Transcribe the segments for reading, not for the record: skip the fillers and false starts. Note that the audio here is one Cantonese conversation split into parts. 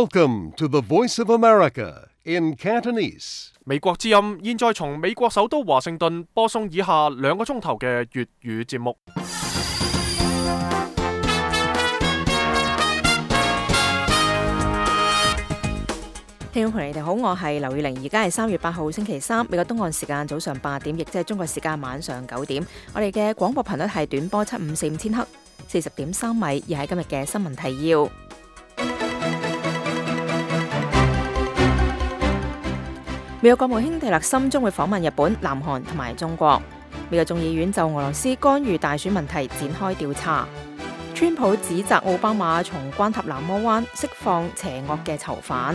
Welcome to the Voice of America in Cantonese. 美國之音現在從美國首都華盛頓播送以下2個鐘頭嘅粵語節目。聽眾朋友你哋好，我係劉宇玲，而家係3月8號星期三，美國東岸時間早上8點，亦即係中國時間晚上9點。我哋嘅廣播頻率係短波754千赫，40.3米，而係今日嘅新聞提要。美國國務卿蒂勒森將會訪問日本、南韓同埋中國。美國眾議院就俄羅斯干預大選問題展開調查。川普指責奧巴馬從關塔那摩灣釋放邪惡嘅囚犯。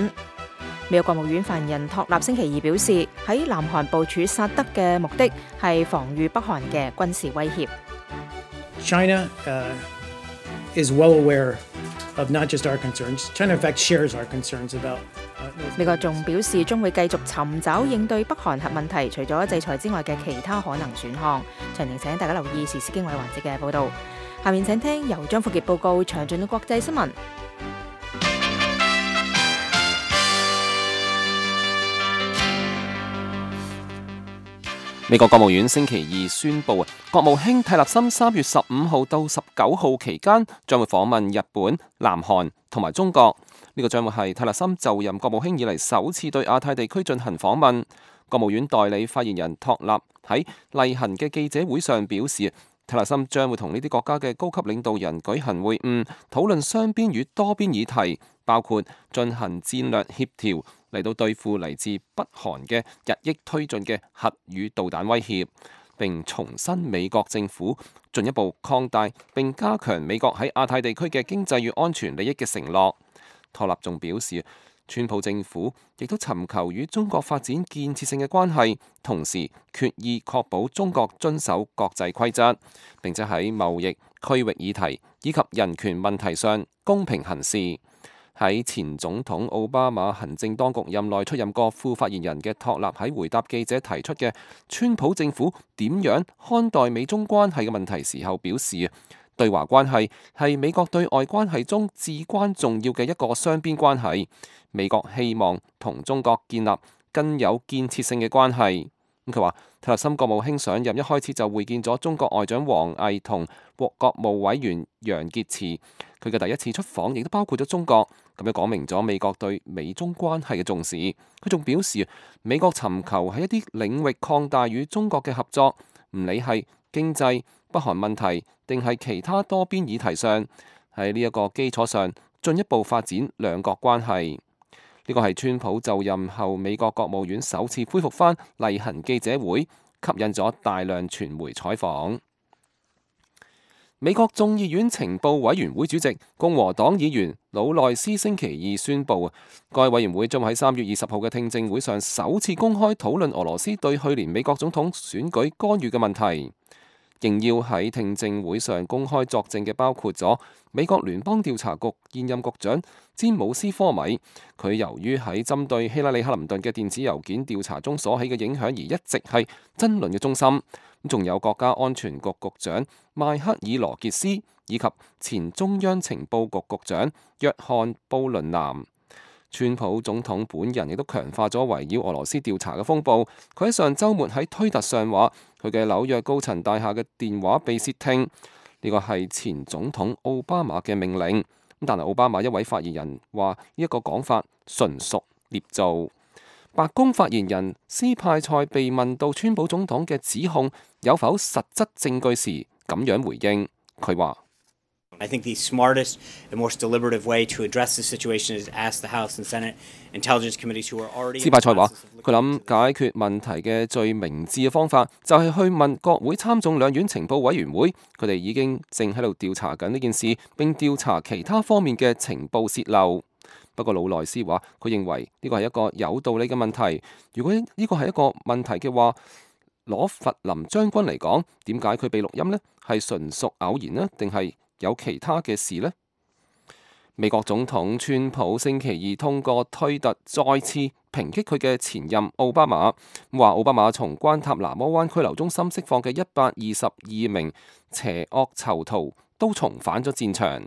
美國國務院發言人托納星期二表示，喺南韓部署薩德嘅目的係防禦北韓嘅軍事威脅。China is well aware of not just our concerns. China, in fact, shares our concerns about. 美國仲表示將會繼續尋找應對北韓核問題除咗制裁之外嘅其他可能選項。詳情請大家留意時事經緯環節嘅報導。下面請聽由張富傑報告詳盡嘅國際新聞。美國國務院星期二宣布，國務卿蒂勒森3月15號到19號期間將會訪問日本、南韓同埋中國。呢個將會係蒂勒森就任國務卿以嚟首次對亞太地區進行訪問。國務院代理發言人托納喺例行嘅記者會上表示，蒂勒森將會同呢啲國家嘅高級領導人舉行會晤，討論雙邊與多邊議題，包括進行戰略協調嚟到對付嚟自北韓嘅日益推進嘅核與導彈威脅，並重申美國政府進一步擴大並加強美國喺亞太地區嘅經濟與安全利益嘅承諾。托納仲表示，川普政府亦都尋求與中國發展建設性嘅關係，同時決意確保中國遵守國際規則，並且喺貿易、區域議題以及人權問題上公平行事。喺前總統奧巴馬行政當局任內出任過副發言人嘅托納喺回答記者提出嘅川普政府點樣看待美中關係嘅問題時候表示，對華關係係美國對外關係中至關重要嘅一個雙邊關係。美國希望同中國建立更有建設性嘅關係。佢話，蒂勒森國務卿上任一開始就會見咗中國外長王毅同國務委員楊潔篪。佢嘅第一次出訪亦都包括咗中國，咁樣講明咗美國對美中關係嘅重視。佢仲表示，美國尋求喺一啲領域擴大與中國嘅合作，唔理係經濟、北韓問題定係其他多邊議題上，喺呢一個基礎上進一步發展兩國關係。呢個係川普就任後美國國務院首次恢復返例行記者會，吸引咗大量傳媒採訪。美國眾議院情報委員會主席共和黨議員魯內斯星期二宣布，該委員會將喺3月20號嘅聽證會上首次公開討論俄羅斯對去年美國總統選舉干預嘅問題。應邀喺聽證會上公開作證嘅包括咗美國聯邦調查局現任局長詹姆斯科米，佢由於喺針對希拉里克林頓嘅電子郵件調查中所起嘅影響而一直係爭論嘅中心。仲有國家安全局局長邁克爾羅傑斯以及前中央情報局局長約翰布倫南。川普總統本人亦都強化咗圍繞俄羅斯調查嘅風暴。佢喺上週末喺推特上話，佢嘅紐約高層大廈嘅電話被竊聽，呢個係前總統奧巴馬嘅命令。但係奧巴馬一位發言人話，呢一個講法純屬捏造。白宮發言人斯派塞被問到川普總統嘅指控有否實質證據時，咁樣回應，佢話I think the smartest and most deliberative way to address this situation is ask the House and Senate Intelligence Committees who are already. 斯派塞話：佢諗解決問題嘅最明智嘅方法就係去問國會參眾兩院情報委員會，佢哋已經正喺度調查緊呢件事，並調查其他方面嘅情報洩漏。不過魯內斯話：佢認為呢個係一個有道理嘅問題。如果呢個係一個問題嘅話，攞弗林將軍嚟講，點解佢被錄音呢？係純屬偶然呢？定係有其他嘅事呢？美國總統川普星期二通過推特再次抨擊佢嘅前任奧巴馬，話奧巴馬從關塔那摩灣拘留中心釋放嘅122名邪惡囚徒都重返咗戰場。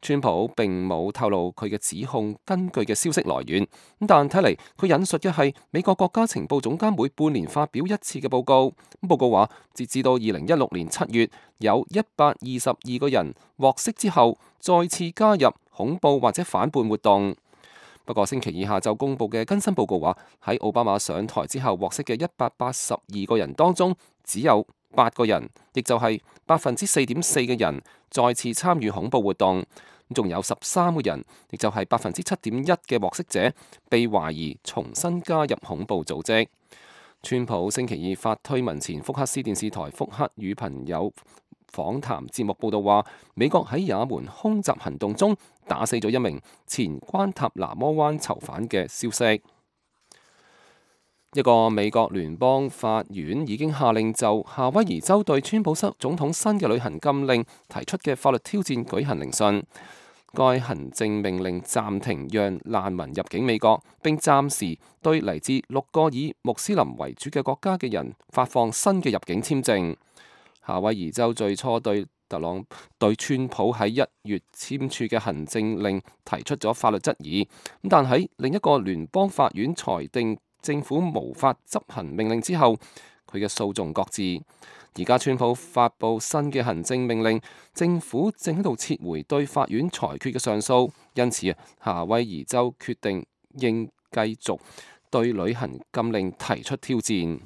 川普並冇透露佢嘅指控根據嘅消息來源，但睇嚟佢引述嘅係美國國家情報總監每半年發表一次嘅報告。報告話，截至到2016年7月，有122個人獲釋之後再次加入恐怖或者反叛活動。不過星期二下晝公佈嘅更新報告話，喺奧巴馬上台之後獲釋嘅182個人當中，只有8個人，亦就係4.4%嘅人再次參與恐怖活動。仲有13個人，亦就係7.1%嘅獲釋者，被懷疑重新加入恐怖組織。川普星期二發推文前，福克斯電視台福克與朋友訪談節目報道話，美國喺也門空襲行動中打死咗一名前關塔那摩灣囚犯嘅消息。一個美國聯邦法院已經下令就夏威夷州對川普總統新嘅旅行禁令提出嘅法律挑戰舉行聆訊。該行政命令暫停讓難民入境美國，並暫時對嚟自6個以穆斯林為主嘅國家嘅人發放新嘅入境簽證。夏威夷州最初對川普喺1月簽署嘅行政令提出咗法律質疑，但喺另一個聯邦法院裁定政府無法執行命令之後，佢嘅訴訟擱置。而家川普發布新嘅行政命令，政府正喺度撤回對法院裁決嘅上訴，因此夏威夷州決定應繼續對旅行禁令提出挑戰。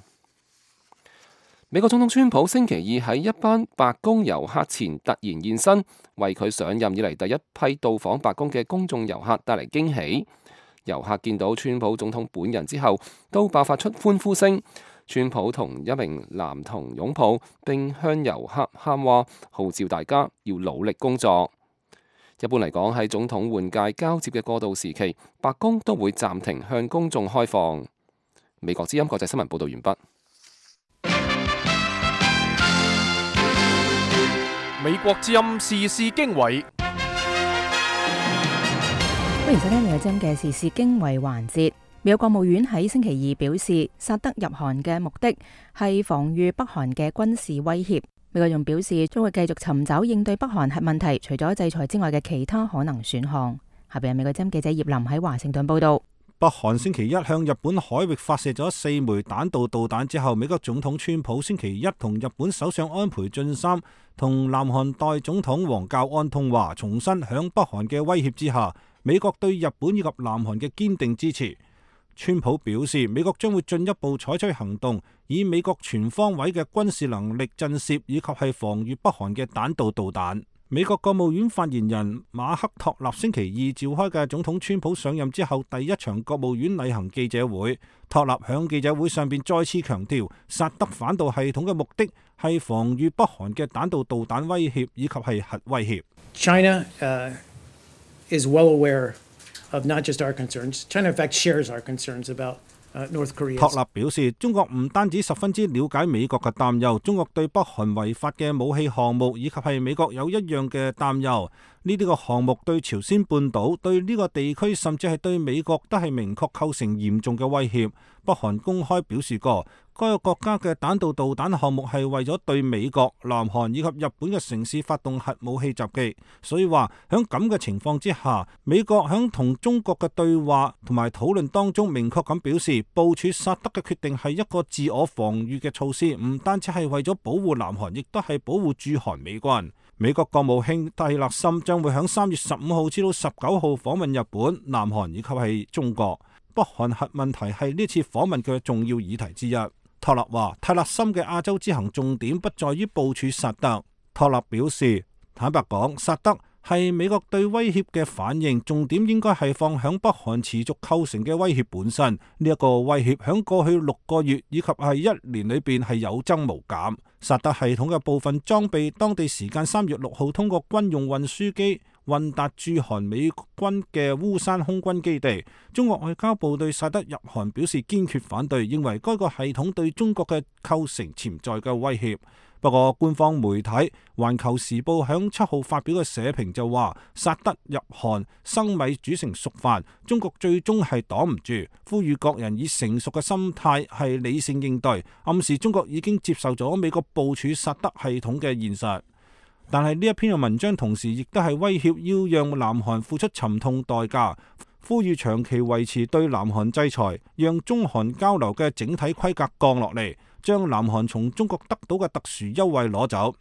美國總統川普星期二喺一班白宮遊客前突然現身，為佢上任以嚟第一批到訪白宮嘅公眾遊客帶嚟驚喜。遊客見到川普總統本人之後，都爆發出歡呼聲。川普同一名男童擁抱，並向遊客喊話，號召大家要努力工作。一般嚟講，喺總統換屆交接嘅過渡時期，白宮都會暫停向公眾開放。美國之音國際新聞報道完畢。美國之音時事經緯。歡迎收聽美國之音嘅時事經緯環節。美國國務院喺星期二表示，薩德入韓嘅目的係防禦北韓嘅軍事威脅。美國仲表示，將會繼續尋找應對北韓核問題除咗制裁之外嘅其他可能選項。下邊係美國之音記者葉林喺華盛頓報道。北韓星期一向日本海域發射咗4枚彈道導彈之後，美國總統川普星期一同日本首相安倍晉三同南韓代總統王教安通話，重申響北韓嘅威脅之下，美國對日本以及南韓嘅堅定支持。川普表示，美國將會進一步採取行動，以美國全方位嘅軍事能力震懾以及係防禦北韓嘅彈道導彈。美國國務院發言人馬克托納星期二召開嘅總統川普上任之後第一場國務院例行記者會，托納響記者會上邊再次強調，薩德反導系統嘅目的係防禦北韓嘅彈道導彈威脅以及係核威脅。China is well aware of not just our concerns. China, in fact, shares our concerns about North Korea. 托納表示，中國唔單止十分之了解美國嘅擔憂，中國對北韓違法嘅武器項目以及係美國有一樣嘅擔憂。呢啲個項目對朝鮮半島、對呢個地區甚至係對美國都係明確構成嚴重嘅威脅。北韓公開表示過，該個國家嘅彈道導彈項目係為咗對美國、南韓以及日本嘅城市發動核武器襲擊，所以話喺咁嘅情況之下，美國喺同中國嘅對話同埋討論當中明確咁表示，部署薩德嘅決定係一個自我防禦嘅措施，唔單止係為咗保護南韓，亦都係保護駐韓美軍。美國國務卿蒂勒森將會喺3月15號至到19號訪問日本、南韓以及係中國。北韓核問題係呢次訪問嘅重要議題之一。托勒話，蒂勒森嘅亞洲之行重點不在於部署薩德。托勒表示，坦白講，薩德係美國對威脅嘅反應，重點應該係放響北韓持續構成嘅威脅本身。呢一個威脅響過去6個月以及係1年裏邊係有增無減。薩德系統嘅部分裝備，當地時間3月6號通過軍用運輸機運達駐韓美軍嘅烏山空軍基地。中國外交部對薩德入韓表示堅決反對，認為該個系統對中國嘅構成潛在嘅威脅。不過官方媒體《環球時報》響7號發表嘅社評就話，薩德入韓生米煮成熟飯，中國最終係擋唔住，呼籲各人以成熟嘅心態係理性應對，暗示中國已經接受咗美國部署薩德系統嘅現實。但係呢一篇嘅文章同時亦都係威脅要讓南韓付出沉痛代價，呼籲長期維持對南韓制裁，讓中韓交流嘅整體規格降落嚟，將南韓從中國得到嘅特殊優惠攞走。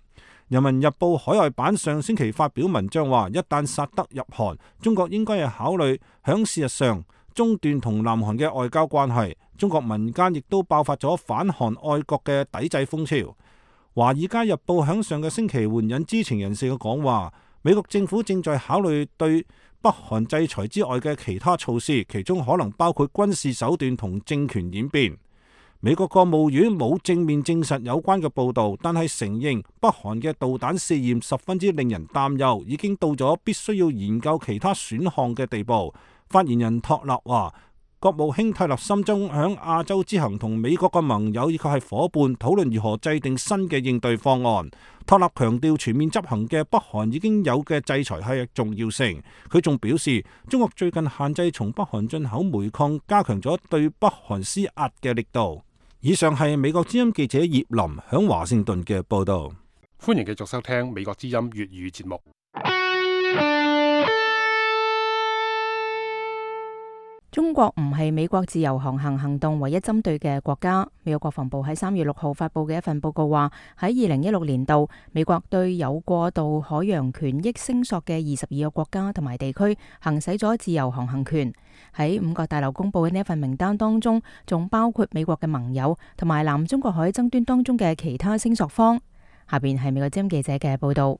人民日報海外版上星期發表文章話，一旦薩德入韓，中國應該係考慮響事實上中斷同南韓嘅外交關係。中國民間亦都爆發咗反韓愛國嘅抵制風潮。華爾街日報響上個星期援引知情人士嘅講話，美國政府正在考慮對北韓制裁之外嘅其他措施，其中可能包括軍事手段同政權演變。美國國務院冇正面證實有關嘅報導，但係承認北韓嘅導彈試驗十分之令人擔憂，已經到咗必須要研究其他選項嘅地步。發言人托勒話，國務卿蒂勒森將響亞洲之行同美國嘅盟友以及係夥伴討論如何制定新嘅應對方案。托勒強調全面執行嘅北韓已經有嘅制裁係重要性。佢仲表示，中國最近限制從北韓進口煤礦，加強咗對北韓施壓嘅力度。以上係美國之音記者葉林響華盛頓嘅報道。歡迎繼續收聽美國之音粵語節目。中國唔係美國自由航行行動唯一針對嘅國家。美國國防部喺3月6號發佈嘅一份報告話，喺2016年度，美國對有過度海洋權益聲索嘅22個國家同埋地區行使咗自由航行權。喺五角大樓公佈嘅呢一份名單當中，仲包括美國嘅盟友同埋南中國海爭端當中嘅其他聲索方。下邊係美國之音記者嘅報道。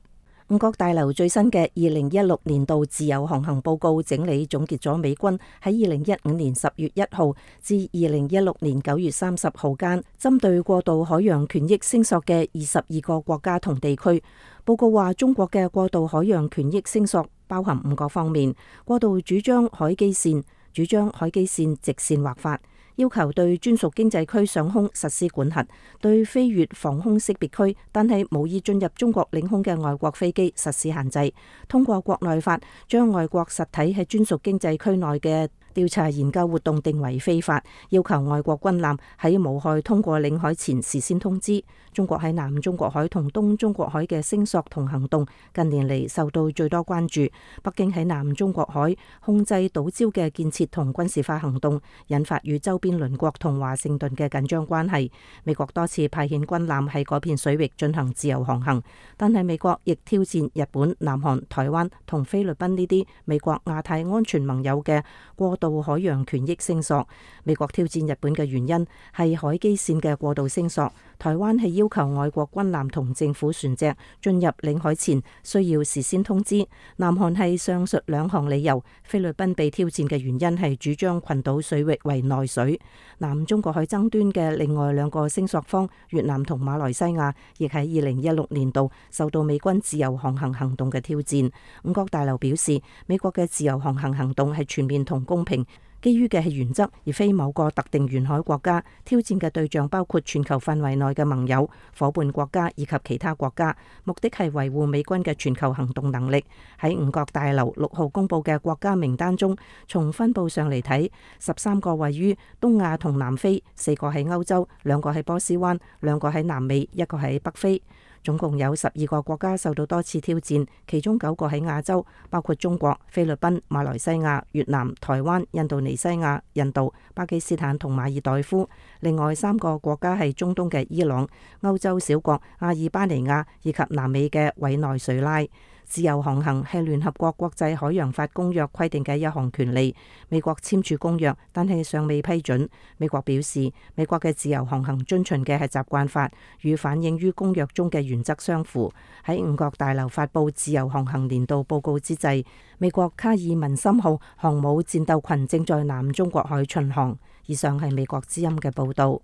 五角大樓最新嘅2016年度自由航行報告整理總結咗美軍喺2015年10月1號至2016年9月30號間針對過度海洋權益聲索嘅22個國家同地區。報告話，中國嘅過度海洋權益聲索包含5個方面：過度主張海基線，主張海基線直線劃法，要求對專屬經濟區上空實施管轄，對飛越防空識別區但係無意進入中國領空嘅外國飛機實施限制，通過國內法將外國實體喺專屬經濟區內嘅調查研究活動定為非法，要求外國軍艦喺無害通過領海前事先通知。中國喺南中國海同東中國海嘅聲索同行動近年嚟受到最多關注。北京喺南中國海控制島礁嘅建設同軍事化行動，引發與周邊鄰國同華盛頓嘅緊張關係。美國多次派遣軍艦喺嗰片水域進行自由航行，但係美國亦挑戰日本、南韓、台灣同菲律賓呢啲美國亞太安全盟友嘅過度海洋權益聲索。美國挑戰日本嘅原因係海基線嘅過度聲索，台灣係要求外國軍艦同政府船隻進入領海前需要事先通知。南韓係上述兩項理由。菲律賓被挑戰嘅原因係主張群島水域為內水。南中國海爭端嘅另外兩個聲索方越南同馬來西亞，亦喺2016年度受到美軍自由航行行動嘅挑戰。五角大樓表示，美國嘅自由航行行動係全面同公平，基於嘅係原則，而非某個特定沿海國家。挑戰嘅對象包括全球範圍內嘅盟友、夥伴國家以及其他國家，目的係維護美軍嘅全球行動能力。喺五角大樓6號公佈嘅國家名單中，從分佈上嚟睇，13個位於東亞同南非，4個喺歐洲，2個喺波斯灣，2個喺南美，1個喺北非。總共有12個國家受到多次挑戰，其中9個喺亞洲，包括中國、菲律賓、馬來西亞、越南、台灣、印度尼西亞、印度、巴基斯坦同馬爾代夫。另外3個國家係中東嘅伊朗、歐洲小國阿爾巴尼亞以及南美嘅委內瑞拉。自由航行係聯合國國際海洋法公約規定嘅一項權利。美國簽署公約，但係尚未批准。美國表示，美國嘅自由航行遵循嘅係習慣法，與反映於公約中嘅原則相符。喺五角大樓發佈自由航行年度報告之際，美國卡爾文森號航母戰鬥群正在南中國海巡航。以上係美國之音嘅報導。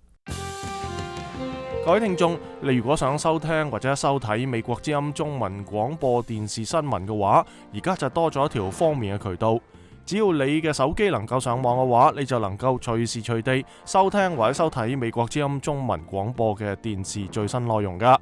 各位聽眾，你如果想收聽或者收睇美國之音中文廣播電視新聞嘅話，而家就多咗一條方便嘅渠道。只要你嘅手機能夠上網嘅話，你就能夠隨時隨地收聽或者收睇美國之音中文廣播嘅電視最新內容噶。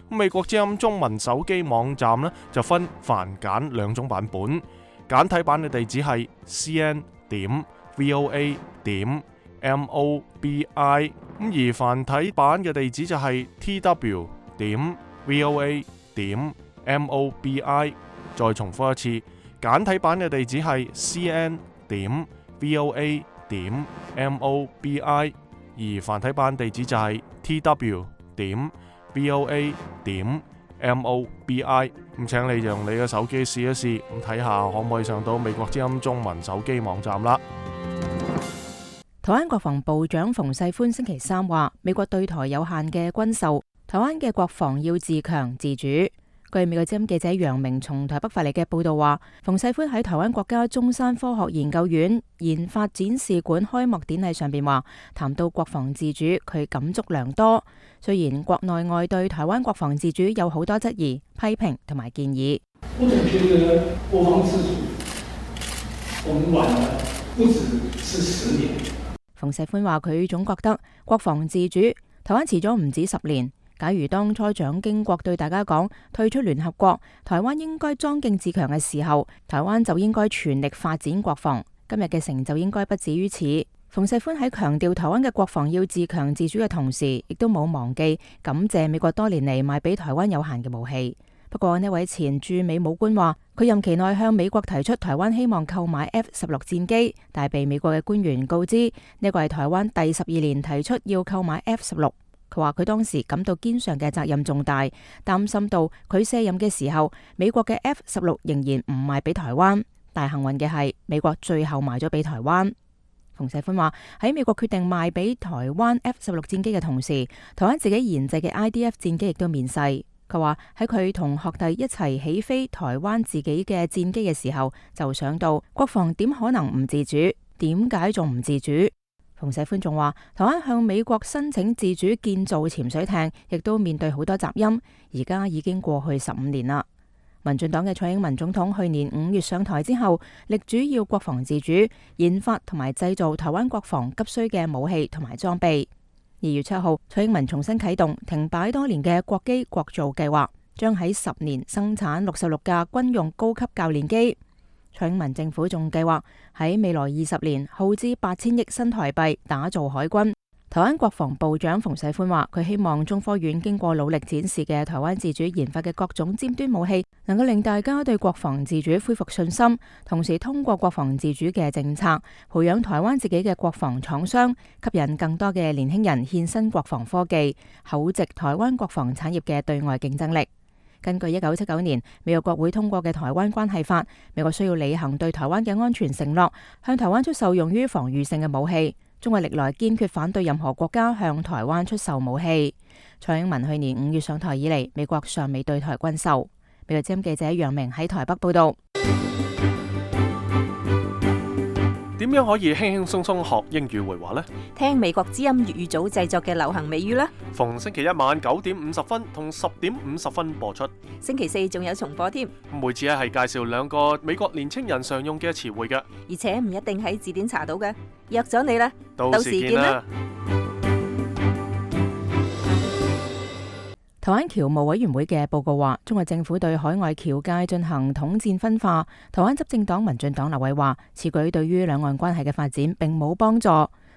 美國之音中文手機網站呢，就分繁簡2種版本，簡體版嘅地址係 cn.voa.mobi， 而繁體版嘅地址就係 tw.voa.mobi。，mobi。再重複一次，簡體版嘅地址係 cn.voa.mobi， 而繁體版地址就係 tw.voa.mobi。咁請你用你嘅手機試一試，咁睇下可唔可以上到美國之音中文手機網站啦。台灣國防部長馮世寬星期三話，美國對台有限嘅軍售，台灣嘅國防要自強自主。據美國之音記者楊明從台北發嚟嘅報道話，馮世寬喺台灣國家中山科學研究院研發展示館開幕典禮上邊話，談到國防自主，佢感觸良多。雖然國內外對台灣國防自主有好多質疑、批評同埋建議。我總覺得國防自主，我們晚了不止是10年。馮世寬話，佢總覺得國防自主，台灣遲咗唔止10年。假如當初蔣經國對大家講退出聯合國，台灣應該莊敬自強嘅時候，台灣就應該全力發展國防，今日嘅成就應該不止於此。馮世寬喺強調台灣嘅國防要自強自主嘅同時，亦都冇忘記感謝美國多年嚟賣俾台灣有限嘅武器。不過呢位前駐美武官話，佢任期內向美國提出台灣希望購買 F-16 戰機，但係被美國嘅官員告知呢個係台灣第12年提出要購買 F-16。佢話佢當時感到肩上嘅責任重大，擔心到佢卸任嘅時候，美國嘅 F-16 仍然唔賣俾台灣。但幸運嘅係，美國最後賣咗俾台灣。馮世寬話喺美國決定賣俾台灣 F-16 戰機嘅同時，台灣自己研製嘅 IDF 戰機亦都面世。佢話喺佢同學弟一齊起飛台灣自己嘅戰機嘅時候，就想到國防點可能唔自主？點解仲唔自主？馮世寬仲話，台灣向美國申請自主建造潛水艇，亦都面對好多雜音。而家已經過去15年啦。民進黨嘅蔡英文總統去年5月上台之後，力主要國防自主，研發同埋製造台灣國防急需嘅武器同埋裝備。2月7號，蔡英文重新啟動停擺多年嘅國機國造計劃，將喺10年生產66架軍用高級教練機。蔡英文政府仲計劃喺未來20年耗資8000億新台幣打造海軍。台灣國防部長馮世寬話，佢希望中科院經過努力展示嘅台灣自主研發嘅各種尖端武器，能夠令大家對國防自主恢復信心，同時通過國防自主嘅政策，培養台灣自己嘅國防廠商，吸引更多嘅年輕人獻身國防科技，厚植台灣國防產業嘅對外競爭力。根據1979年美國國會通過嘅《台灣關係法》，美國需要履行對台灣嘅安全承諾，向台灣出售用於防禦性嘅武器。中國歷來堅決反對任何國家向台灣出售武器。蔡英文去年5月上台以嚟，美國尚未對台軍售。美國之音記者楊明喺台北報道。點樣可以輕輕鬆鬆學英語會話呢？聽美國之音粵語組製作嘅流行美語啦。逢星期一晚9點50分同10點50分播出。星期4仲有重播添。每次係介紹2個美國年青人常用嘅詞彙嘅，而且唔一定喺字典查到嘅。約咗你啦，到時見啦。台灣僑務委員會嘅報告話，中國政府對海外僑界進行統戰分化。台灣執政黨民進黨立委話，此舉對於兩岸關係嘅發展並冇幫助。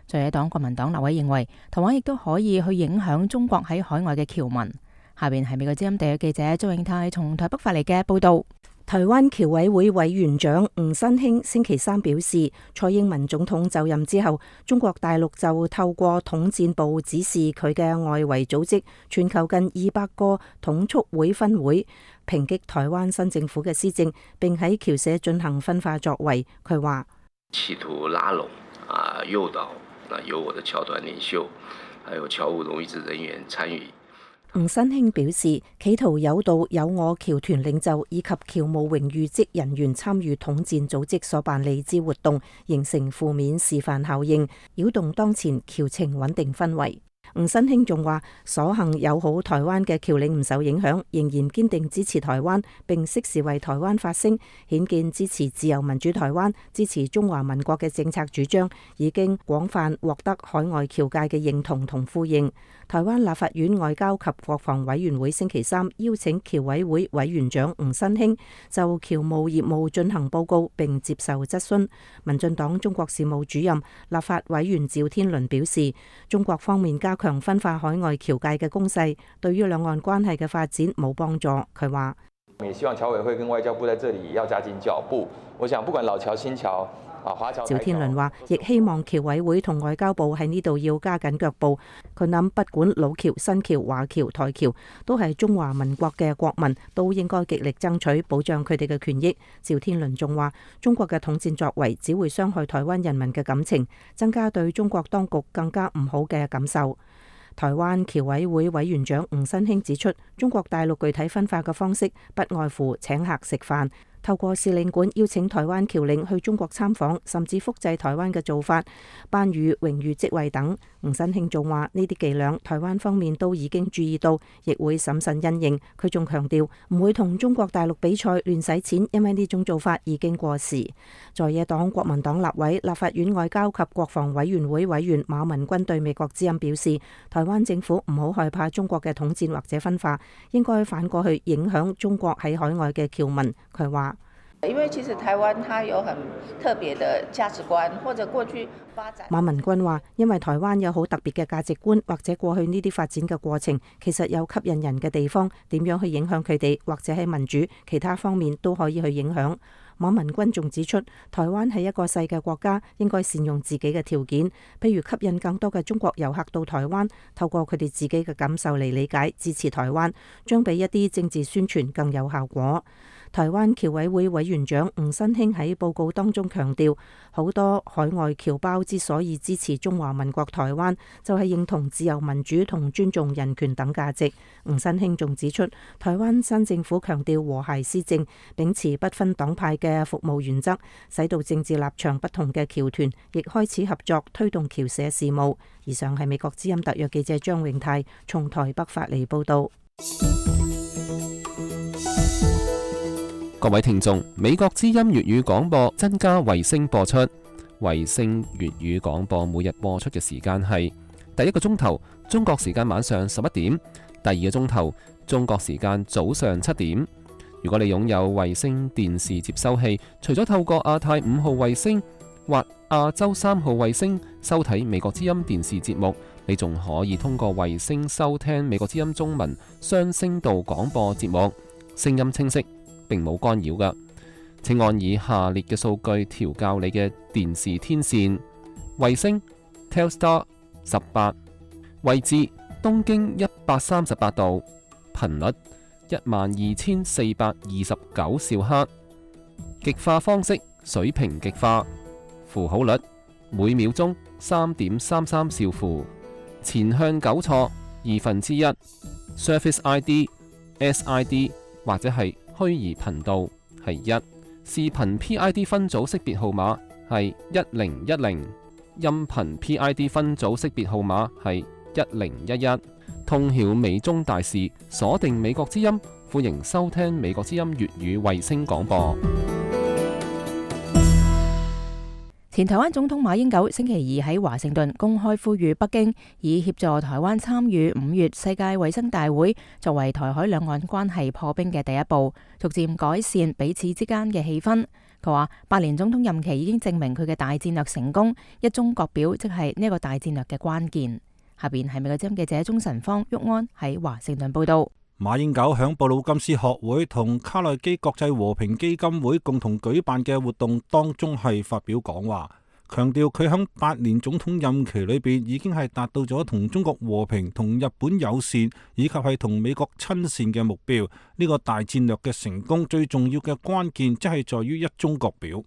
在野黨國民黨立委認為，台灣亦都可以去影響中國喺海外嘅僑民。下邊係美國之音地約記者周永泰從台北發嚟嘅報道。台灣僑委會委員長吳新興星期三表示，蔡英文總統就任之後，中國大陸就透過統戰部指示佢嘅外圍組織全球近200個統促會分會，抨擊台灣新政府嘅施政，並喺僑社進行分化作為。佢話企圖拉攏誘導，由我的僑團領袖，還有僑務榮譽職人員參與。吳新興表示，企圖誘導有我僑團領袖以及僑務榮譽職人員參與統戰組織所辦理之活動，形成負面示範效應，擾動當前僑情穩定氛圍。吳新興仲話，所幸友好台灣嘅僑領唔受影響，仍然堅定支持台灣，並適時為台灣發聲，顯見支持自由民主台灣、支持中華民國嘅政策主張，已經廣泛獲得海外僑界嘅認同同呼應。台灣立法院外交及國防委員會星期三邀請僑委會委員長吳新興就僑務業務進行報告並接受質詢。民進黨中國事務主任立法委員趙天麟表示，中國方面加強分化海外僑界嘅攻勢，對於兩岸關係嘅發展冇幫助。佢話：也希望僑委會跟外交部在這裡也要加緊腳步。我想不管老僑、新僑啊，華僑。趙天麟話，亦希望僑委會同外交部喺呢度要加緊腳步。佢諗不管老僑、新僑、華僑、台僑，都係中華民國嘅國民，都應該極力爭取保障佢哋嘅權益。趙天麟仲話，中國嘅統戰作為只會傷害台灣人民嘅感情，增加對中國當局更加唔好嘅感受。台灣僑委會委員長吳新興指出，中國大陸具體分化嘅方式不外乎請客食飯，透過使領館邀請台灣僑領去中國參訪，甚至複製台灣嘅做法，頒予榮譽職位等。吳新興仲話，呢啲伎倆台灣方面都已經注意到，亦會審慎因應。佢仲強調唔會同中國大陸比賽亂使錢，因為呢種做法已經過時。在野黨國民黨立委、立法院外交及國防委員會委員馬文君對美國之音表示，台灣政府唔好害怕中國嘅統戰或者分化，應該反過去影響中國喺海外嘅僑民。佢話，因為其實台灣它有很特別的價值觀，或者過去發展。馬文君話，因為台灣有好特別嘅價值觀，或者過去呢啲發展嘅過程，其實有吸引人嘅地方，點樣去影響佢哋，或者喺民主其他方面都可以去影響。馬文君仲指出，台灣係一個細嘅國家，應該善用自己嘅條件，譬如吸引更多嘅中國遊客到台灣，透過佢哋自己嘅感受嚟理解支持台灣，將比一啲政治宣傳更有效果。台灣僑委會委員長吳新興喺報告當中強調，好多海外僑胞之所以支持中華民國台灣，就係認同自由民主同尊重人權等價值。吳新興仲指出，台灣新政府強調和諧施政，秉持不分黨派嘅服務原則，使到政治立場不同嘅僑團亦開始合作推動僑社事務。以上係美國之音特約記者張永泰從台北發嚟報道。各位聽眾，美國之音粵語廣播增加衛星播出。衛星粵語廣播每日播出嘅時間係第一個鐘頭中國時間晚上11點，第二個鐘頭中國時間早上7點。如果你擁有衛星電視接收器，除咗透過亞太5號衛星或亞洲3號衛星收睇美國之音電視節目，你仲可以通過衛星收聽美國之音中文雙聲道廣播節目，聲音清晰，並冇干擾㗎。請按以下列嘅數據調校你嘅電視天線：衛星 Telstar 18，位置東經138度，頻率12429兆赫，極化方式水平極化，符號率每秒鐘3.33兆符，前向糾錯1/2， Service ID、SID 或者係虛擬頻道係1，視頻 PID 分組識別號碼係1010，音頻 PID 分組識別號碼係1011。通曉美中大事，鎖定美國之音，歡迎收聽美國之音粵語衛星廣播。前台灣總統馬英九星期二喺華盛頓公開呼籲北京，以協助台灣參與5月世界衛生大會，作為台海兩岸關係破冰嘅第一步，逐漸改善彼此之間嘅氣氛。佢話8年總統任期已經證明佢嘅大戰略成功，一中各表即係呢個大戰略嘅關鍵。下邊係美國之音記者鍾晨芳、郁安喺華盛頓報道。馬英九響布魯金斯學會同卡內基國際和平基金會共同舉辦嘅活動當中係發表講話，強調佢響8年總統任期裏邊已經係達到咗同中國和平、同日本友善以及係同美國親善嘅目標。呢個大戰略嘅成功最重要嘅關鍵即係在於一中各表。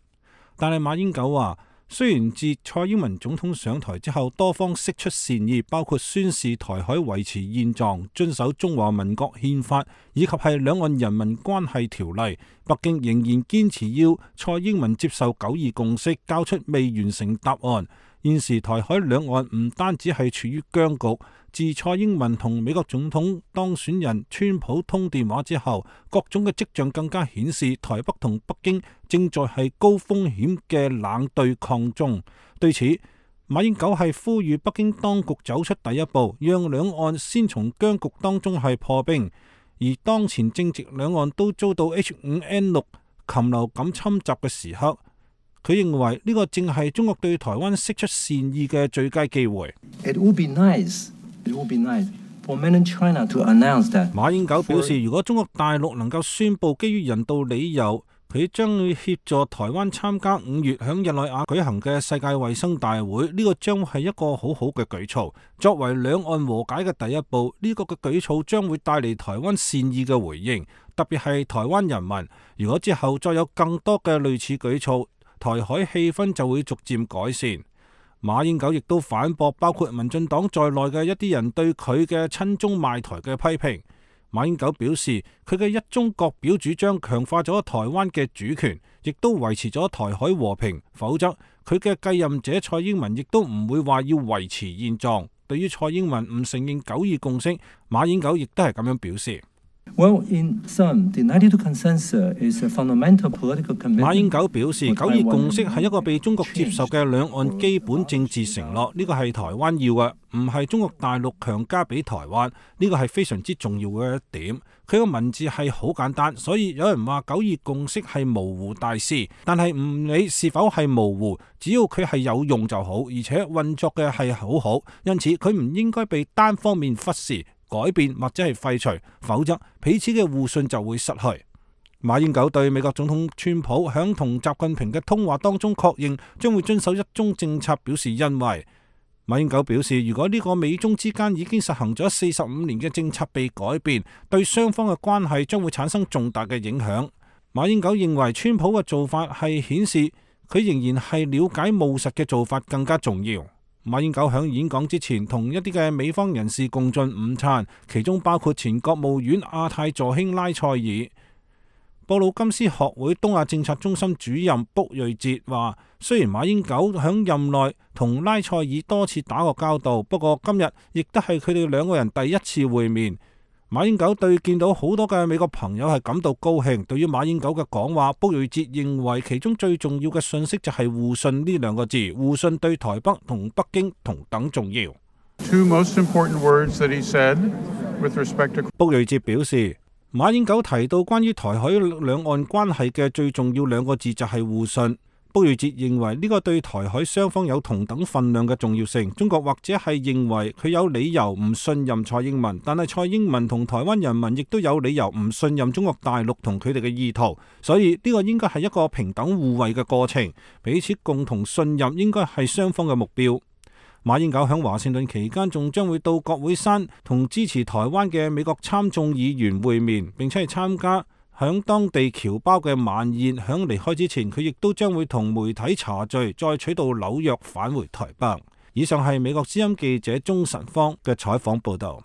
但係馬英九話，雖然自蔡英文總統上台之後，多方釋出善意，包括宣示台海維持現狀、遵守中華民國憲法，以及係兩岸人民關係條例，北京仍然堅持要蔡英文接受9·2共識，交出未完成答案。現時台海兩岸唔單止係處於僵局，自蔡英文同美國總統當選人川普通電話之後，各種嘅跡象更加顯示台北同北京正在係高風險嘅冷對抗中。對此，馬英九係呼籲北京當局走出第一步，讓兩岸先從僵局當中係破冰。而當前正值兩岸都遭到 H5N6 禽流感侵襲嘅時刻，佢認為呢個正係中國對台灣釋出善意嘅最佳機會。It would be nice 馬英九表示，如果中國大陸能夠宣布基於人道理由，佢將會協助台灣參加5月響日內瓦舉行嘅世界衛生大會，呢個將係一個好好嘅舉措。作為兩岸和解嘅第一步，呢個嘅舉措將會帶嚟台灣善意嘅回應，特別係台灣人民。如果之後再有更多嘅類似舉措，台海氣氛就會逐漸改善。馬英九亦都反駁包括民進黨在內嘅一啲人對佢嘅親中賣台嘅批評。馬英九表示，佢嘅一中各表主張強化咗台灣嘅主權，亦都維持咗台海和平，否則佢嘅繼任者蔡英文亦都唔會話要維持現狀。對於蔡英文唔承認9·2共識，馬英九亦都係咁樣表示。Well, in sum, the 92 consensus is a fundamental political commitment. 馬英九表示，9·2共識係一個被中國接受嘅兩岸基本政治承諾，呢個係台灣要嘅，唔係中國大陸強加俾台灣，呢個係非常之重要嘅一點。佢個文字係好簡單，所以有人話9·2共識係模糊大師，但係唔理是否係模糊，只要佢係有用就好，而且運作嘅係好好，因此佢唔應該被單方面忽視、改變或者係廢除，否則彼此嘅互信就會失去。馬英九對美國總統川普響同習近平嘅通話當中確認將會遵守一中政策表示欣慰。馬英九表示，如果呢個美中之間已經實行咗45年嘅政策被改變，對雙方嘅關係將會產生重大嘅影響。馬英九認為川普嘅做法係顯示佢仍然係了解務實嘅做法更加重要。馬英九響演講之前同一啲嘅美方人士共進午餐，其中包括前國務院亞太助卿拉塞爾。布魯金斯學會東亞政策中心主任卜瑞哲話，雖然馬英九響任內同拉塞爾多次打過交道，不過今日亦都係佢哋兩個人第一次會面。馬英九對見到好多嘅美國朋友係感到高興。對於馬英九嘅講話，卜瑞哲認為其中最重要嘅信息就係互信呢兩個字，互信對台北同北京同等重要。卜瑞哲表示，馬英九提到關於台海兩岸關係嘅最重要兩個字就係互信。卜瑞哲認為呢個對台海雙方有同等分量嘅重要性。中國或者係認為佢有理由唔信任蔡英文，但係蔡英文同台灣人民亦都有理由唔信任中國大陸同佢哋嘅意圖，所以呢個應該係一個平等互惠嘅過程，彼此共同信任應該係雙方嘅目標。馬英九響華盛頓期間仲將會到國會山同支持台灣嘅美國參眾議員會面，並且係參加響當地僑胞嘅晚宴。響離開之前，佢亦都將會同媒體茶聚，再取道紐約返回台北。以上係美國之音記者鍾晨芳嘅採訪報道。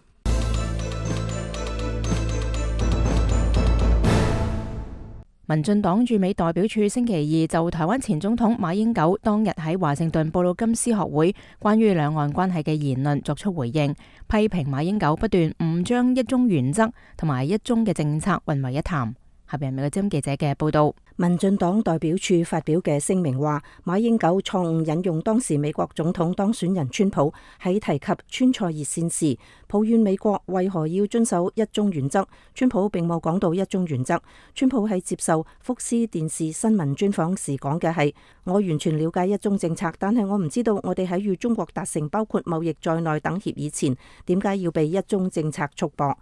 民進黨駐美代表處星期二就台灣前總統馬英九當日喺華盛頓布魯金斯學會關於兩岸關係嘅言論作出回應，批評馬英九不斷誤將一中原則同埋一中嘅政策混為一談。下邊係美國之音記者嘅報道。民進黨代表處發表嘅聲明話，馬英九錯誤引用當時美國總統當選人川普喺提及川菜熱線時，抱怨美國為何要遵守一中原則。川普並冇講到一中原則。川普喺接受福斯電視新聞專訪時講嘅係：我完全了解一中政策，但係我唔知道我哋喺與中國達成包括貿易在內等協議前，點解要被一中政策束縛。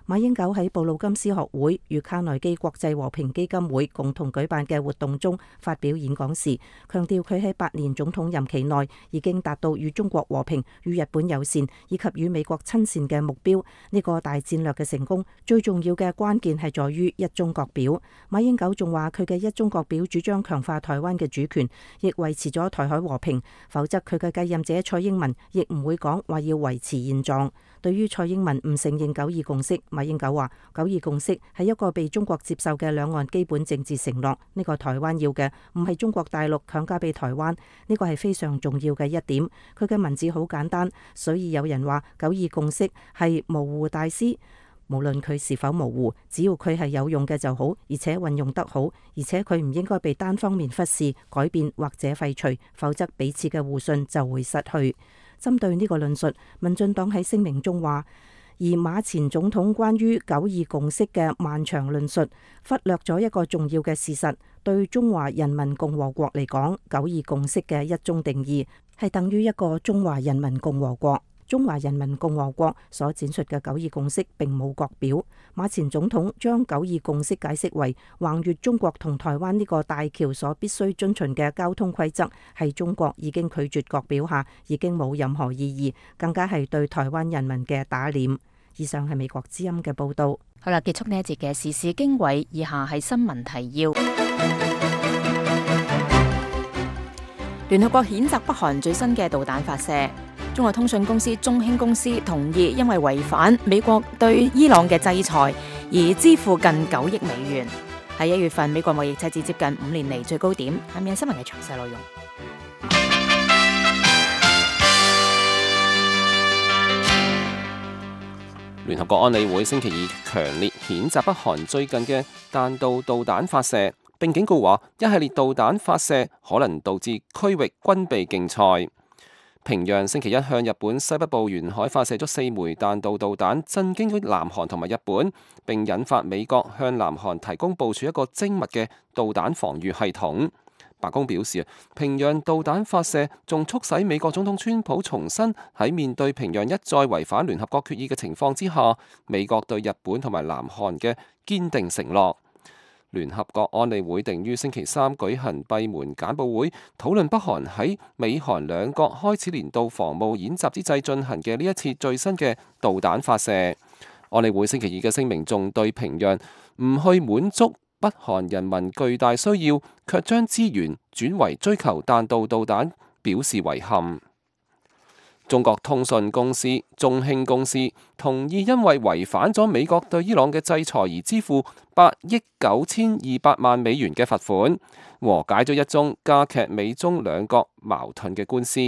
馬英九喺布魯金斯學會與卡內基國際和平基金會共同舉辦嘅活動中發表演講時，強調佢喺8年總統任期內已經達到與中國和平、與日本友善以及與美國親善嘅目標。呢個大戰略嘅成功，最重要嘅關鍵係在於一中各表。馬英九仲話佢嘅一中各表主張強化台灣嘅主權，亦維持咗台海和平，否則佢嘅繼任者蔡英文亦唔會講話要維持現狀。對於蔡英文唔承認9·2共識，馬英九話9·2共識係一個被中國接受嘅兩岸基本政治承諾，呢個台灣要嘅唔係中國大陸強加俾台灣，呢個係非常重要嘅一點。佢嘅文字好簡單，所以有人話9·2共識係模糊大師。無論佢是否模糊，只要佢係有用嘅就好，而且運用得好，而且佢唔應該被單方面忽視、改變或者廢除，否則彼此嘅互信就會失去。針對呢個論述，民進黨喺聲明中話，而馬前總統關於9·2共識嘅漫長論述，忽略咗一個重要嘅事實，對中華人民共和國嚟講，9·2共識嘅一中定義係等於一個中華人民共和國。中華人民共和國所展述嘅九二共識並冇國表。馬前總統將九二共識解釋為橫越中國同台灣呢個大橋所必須遵循嘅交通規則，係中國已經拒絕國表下已經冇任何意義，更加係對台灣人民嘅打臉。以上係美國之音嘅報道。好啦，結束呢一節嘅時事經緯，以下係新聞提要。聯合國譴責北韓最新嘅導彈發射。中國通訊公司中興公司同意因為違反美國對伊朗嘅制裁而支付近9億美元。喺1月份，美國貿易赤字接近5年嚟最高點。下面新聞嘅詳細內容。聯合國安理會星期二強烈譴責北韓最近嘅彈道導彈發射，並警告話一系列導彈發射可能導致區域軍備競賽。平壤星期一向日本西北部沿海發射咗4枚彈道導彈，震驚咗南韓同埋日本，並引發美國向南韓提供部署一個精密嘅導彈防禦系統。白宮表示，平壤導彈發射仲促使美國總統川普重申喺面對平壤一再違反聯合國決議嘅情況之下，美國對日本同埋南韓嘅堅定承諾。聯合國安理會定於星期三舉行閉門簡報會，討論北韓喺美韓兩國開始年度防務演習之際進行嘅呢一次最新嘅導彈發射。安理會星期二嘅聲明仲對平壤唔去滿足北韓人民巨大需要，卻將資源轉為追求彈道導彈表示遺憾。中國通訊公司中興公司同意因為違反咗美國對伊朗嘅制裁而支付8億9200萬美元嘅罰款，和解咗一宗加劇美中兩國矛盾嘅官司。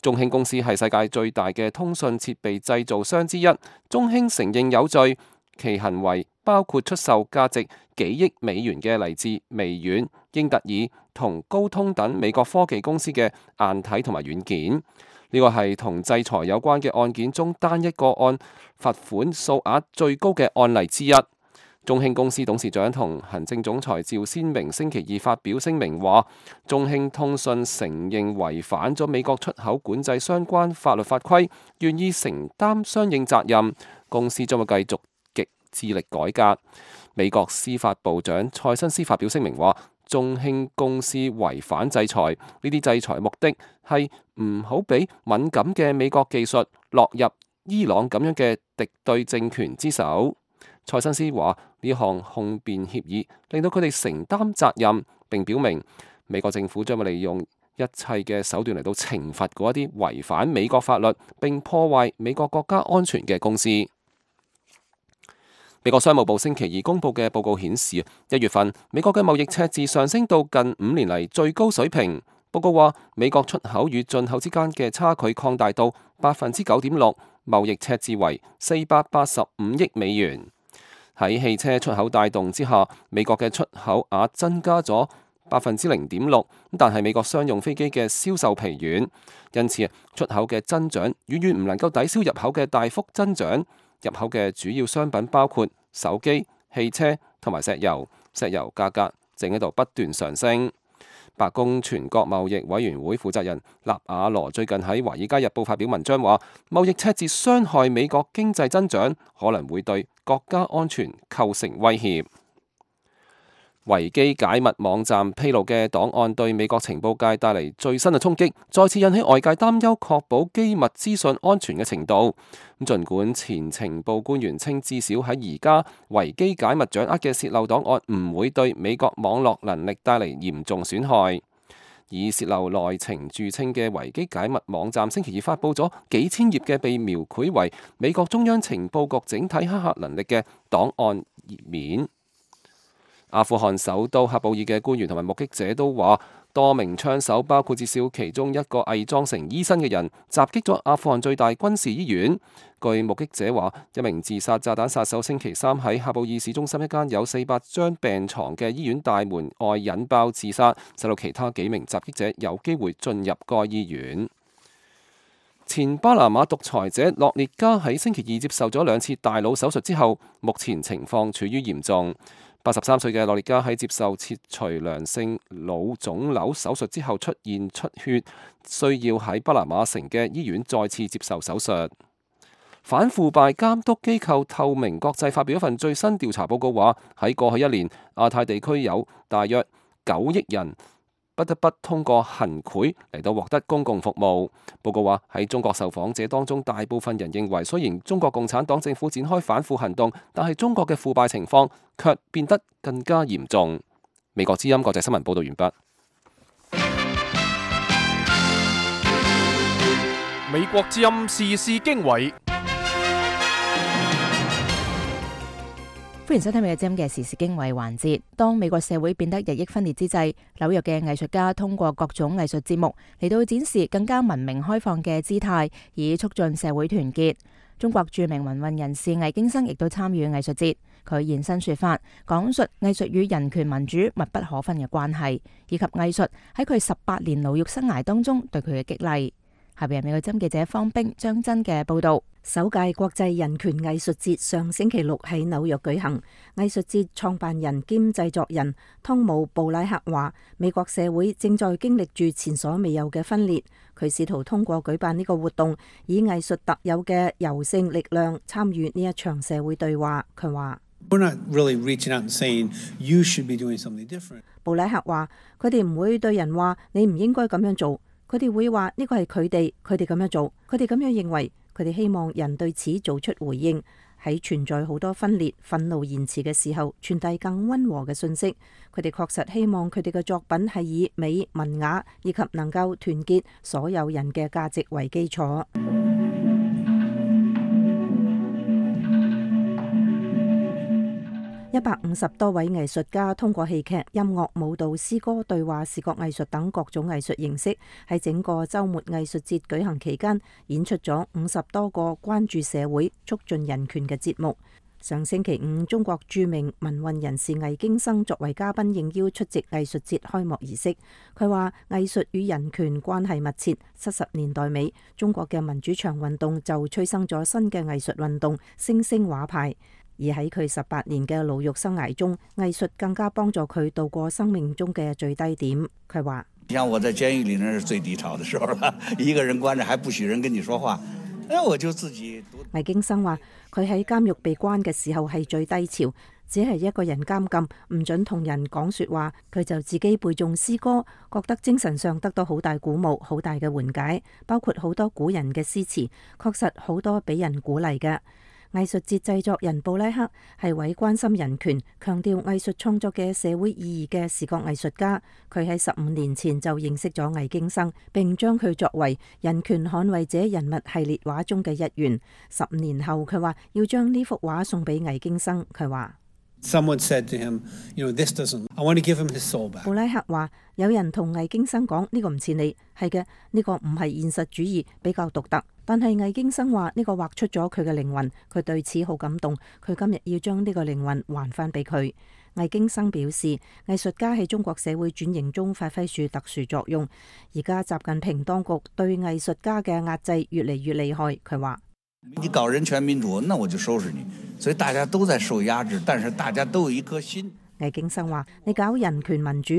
中興公司係世界最大嘅通訊設備製造商之一，中興承認有罪，其行為包括出售價值幾億美元嘅嚟自微軟、英特爾同高通等美國科技公司嘅硬體同埋軟件。呢個係同制裁有關嘅案件中單一個案罰款數額最高嘅案例之一。中興公司董事長同行政總裁趙先明星期二發表聲明話，中興通訊承認違反咗美國出口管制相關法律法規，願意承擔相應責任。公司將會繼續極致力改革。美國司法部長蔡新斯發表聲明話，中興公司違反制裁，呢啲制裁目的係唔好俾敏感嘅美國技術落入伊朗咁樣嘅敵對政權之手。蔡新斯話，呢項控辯協議令到佢哋承擔責任，並表明美國政府將會利用一切嘅手段嚟到懲罰嗰一啲違反美國法律並破壞美國國家安全嘅公司。美國商務部星期二公佈嘅報告顯示，1月份美國嘅貿易赤字上升到近5年嚟最高水平。報告話，美國出口與進口之間嘅差距擴大到9.6%，貿易赤字為485億美元。喺汽車出口帶動之下，美國嘅出口額增加咗0.6%，但係美國商用飛機嘅銷售疲軟，因此出口嘅增長遠遠唔能夠抵消入口嘅大幅增長。入口嘅主要商品包括手機、汽車同埋石油，石油價格正喺度不斷上升。白宮全國貿易委員會負責人納瓦羅最近喺《華爾街日報》發表文章話，貿易赤字傷害美國經濟增長，可能會對國家安全構成威脅。維基解密網站披露嘅檔案對美國情報界帶嚟最新嘅衝擊，再次引起外界擔憂確保機密資訊安全嘅程度。儘管前情報官員稱至少喺而家維基解密掌握嘅洩漏檔案唔會對美國網絡能力帶嚟嚴重損害。以洩漏內情著稱嘅維基解密網站星期二發布咗幾千頁嘅被描繪為美國中央情報局整體黑客能力嘅檔案頁面。阿富汗首都喀布爾嘅官員同埋目擊者都話，多名槍手，包括至少其中一個偽裝成醫生嘅人，襲擊咗阿富汗最大軍事醫院。據目擊者話，一名自殺炸彈殺手星期三喺喀布爾市中心一間有400張病床嘅醫院大門外引爆自殺，使到其他幾名襲擊者有機會進入該醫院。前巴拿馬獨裁者諾列加喺星期二接受咗2次大腦手術之後，目前情況處於嚴重。83歲嘅諾列加喺接受切除良性腦腫瘤手術之後出現出血，需要喺巴拿馬城嘅醫院再次接受手術。反腐敗監督機構透明國際發表一份最新調查報告話，喺過去一年，亞太地區有大約9億人不得不通過行賄嚟到獲得公共服務。報告話喺中國受訪者當中，大部分人認為雖然中國共產黨政府展開反腐行動，但係中國嘅腐敗情況卻變得更加嚴重。美國之音國際新聞報道完畢。美國之音時事經緯。歡迎收聽美國之音嘅時事經緯環節。當美國社會變得日益分裂之際，紐約嘅藝術家通過各種藝術節目嚟到展示更加文明開放嘅姿態，以促進社會團結。中國著名民運人士魏京生亦都參與藝術節，佢現身說法，講述藝術與人權民主密不可分嘅關係，以及藝術喺佢18年牢獄生涯當中對佢嘅激勵。下邊係美國之音記者方冰、張真嘅報道。首屆國際人權藝術節上星期六喺紐約舉行。藝術節創辦人兼製作人湯姆布拉克話，美國社會正在經歷住前所未有嘅分裂。佢試圖通過舉辦呢個活動，以藝術特有嘅柔性力量參與呢一場社會對話。佢話：We're not really reaching out and saying you should be doing something different。布拉克話：佢哋唔會對人話你唔應該咁樣做。佢哋會話呢個係佢哋咁樣做，佢哋咁樣認為，佢哋希望人對此做出回應，喺存在好多分裂、憤怒言辭嘅時候，傳遞更溫和嘅信息。佢哋確實希望佢哋嘅作品係以美、文雅以及能夠團結所有人嘅價值為基礎。150多位藝術家通過戲劇、音樂、舞蹈、詩歌、對話、視覺藝術等各種藝術形式，喺整個週末藝術節舉行期間，演出咗50多個關注社會、促進人權嘅節目。上星期五，中國著名民運人士魏京生作為嘉賓應邀出席藝術節開幕儀式。佢話：藝術與人權關係密切。70年代尾，中國嘅民主牆運動就催生咗新嘅藝術運動——星星畫派。而喺佢18年嘅牢獄生涯中，藝術更加幫助佢度過生命中嘅最低點。佢話：像我在監獄裏，那是最低潮的時候啦，一個人關着，還不許人跟你說話，我就自己。魏京生話：佢喺監獄被關嘅時候係最低潮，只係一個人監禁，唔准同人講說話，佢就自己背誦詩歌，覺得精神上得到好大鼓舞，好大嘅緩解，包括好多古人嘅詩詞，確實好多俾人鼓勵嘅。藝術節製作人布拉克係位關心人權、強調藝術創作嘅社會意義嘅視覺藝術家。佢喺15年前就認識咗魏京生，並將佢作為人權捍衛者人物系列畫中嘅一員。15年後，佢話要將呢幅畫送俾魏京生。佢話Someone said to him, "This doesn't. I want to give him his soul back." 布拉克話：有人同魏京生講呢個唔似你，係嘅，呢個唔係現實主義，比較獨特。但係魏京生話呢個畫出咗佢嘅靈魂，佢對此好感動。佢今日要將呢個靈魂還翻俾佢。魏京生表示，藝術家喺中國社會轉型中發揮住特殊作用。而家習近平當局對藝術家嘅壓制越嚟越厲害。佢話：你搞人權民主，那我就收拾你。所以大家都在受壓制，但是大家都有一顆心。魏京生話：你搞人權民主，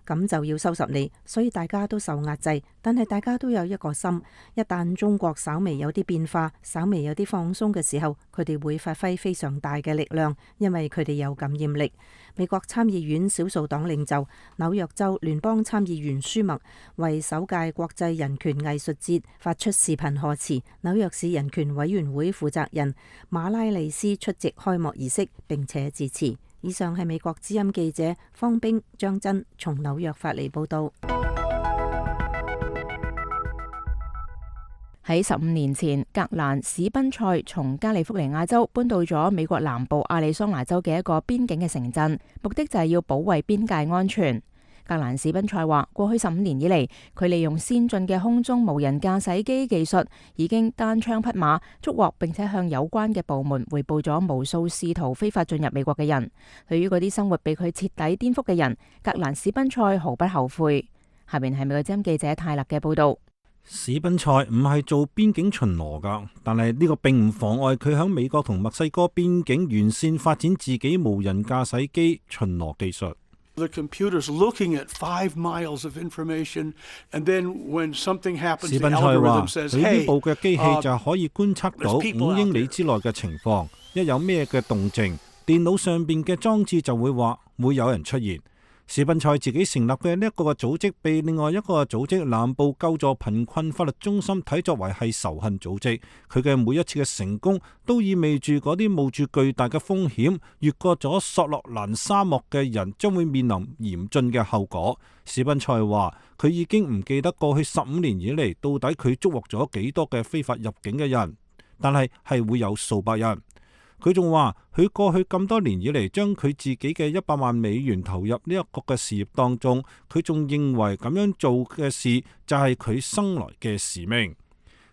咁就要收拾你。所以大家都受壓制，但係大家都有一個心。一旦中國稍微有啲變化，稍微有啲放鬆嘅時候，佢哋會發揮非常大嘅力量，因為佢哋有感染力。美國參議院少數黨領袖、紐約州聯邦參議員舒默為首屆國際人權藝術節發出視頻賀詞。紐約市人權委員會負責人馬拉利斯出席開幕儀式並且致辭。以上係美國之音記者方冰、張真從紐約發嚟報道。喺15年前，格蘭史賓塞從加利福尼亞州搬到咗美國南部亞利桑那州嘅一個邊境嘅城鎮，目的就係要保衛邊界安全。格蘭史賓塞話：過去15年以嚟，佢利用先進嘅空中無人駕駛機技術，已經單槍匹馬捉獲並且向有關嘅部門匯報咗無數試圖非法進入美國嘅人。對於嗰啲生活被佢徹底顛覆嘅人，格蘭史賓塞毫不後悔。下面係美國之音記者泰勒嘅報道。史賓塞唔係做邊境巡邏㗎，但係呢個並唔妨礙佢喺美國同墨西哥邊境沿線發展自己無人駕駛機巡邏技術。The computer's looking at 5 miles of information, and then when something happens, 史 the 賓塞話： algorithm says, 佢呢 "Hey, 部嘅機器就可以觀測到5英里之內嘅情況，一有咩嘅動靜，電腦上邊嘅裝置就會話會有人出現。史賓塞自己成立嘅呢一個組織，被另外一個組織南部救助貧困法律中心睇作為係仇恨組織。佢嘅每一次嘅成功，都意味住嗰啲冒住巨大嘅風險越過咗索洛蘭沙漠嘅人，將會面臨嚴峻嘅後果。史賓塞話：佢已經唔記得過去15年以嚟到底佢捉獲咗幾多嘅非法入境嘅人，但係會有數百人。佢仲話：佢過去咁多年以嚟，將佢自己嘅100萬美元投入呢一個嘅事業當中，佢仲認為咁樣做嘅事就係佢生來嘅使命。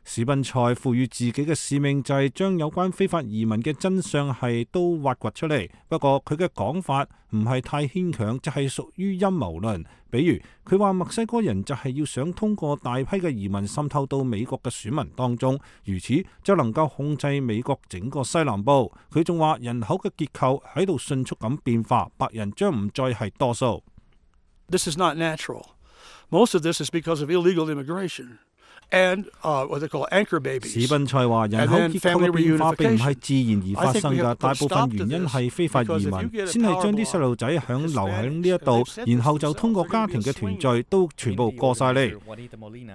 史賓塞賦予自己嘅使命就係將有關非法移民嘅真相係都挖掘出嚟。不過佢嘅講法唔係太牽強，就係屬於陰謀論。比如佢話墨西哥人就係要想通過大批嘅移民滲透到美國嘅選民當中，如此就能夠控制美國整個西南部。佢仲話人口嘅結構喺度迅速咁變化，白人將唔再係多數。This is not natural. Most of this is because of illegal immigration. And what they call anchor babies. 史賓塞話：人口結構嘅變化並唔係自然而發生㗎，大部分原因係非法移民，先係將啲細路仔留喺呢一度，然後就通過家庭嘅團聚都全部過晒嚟。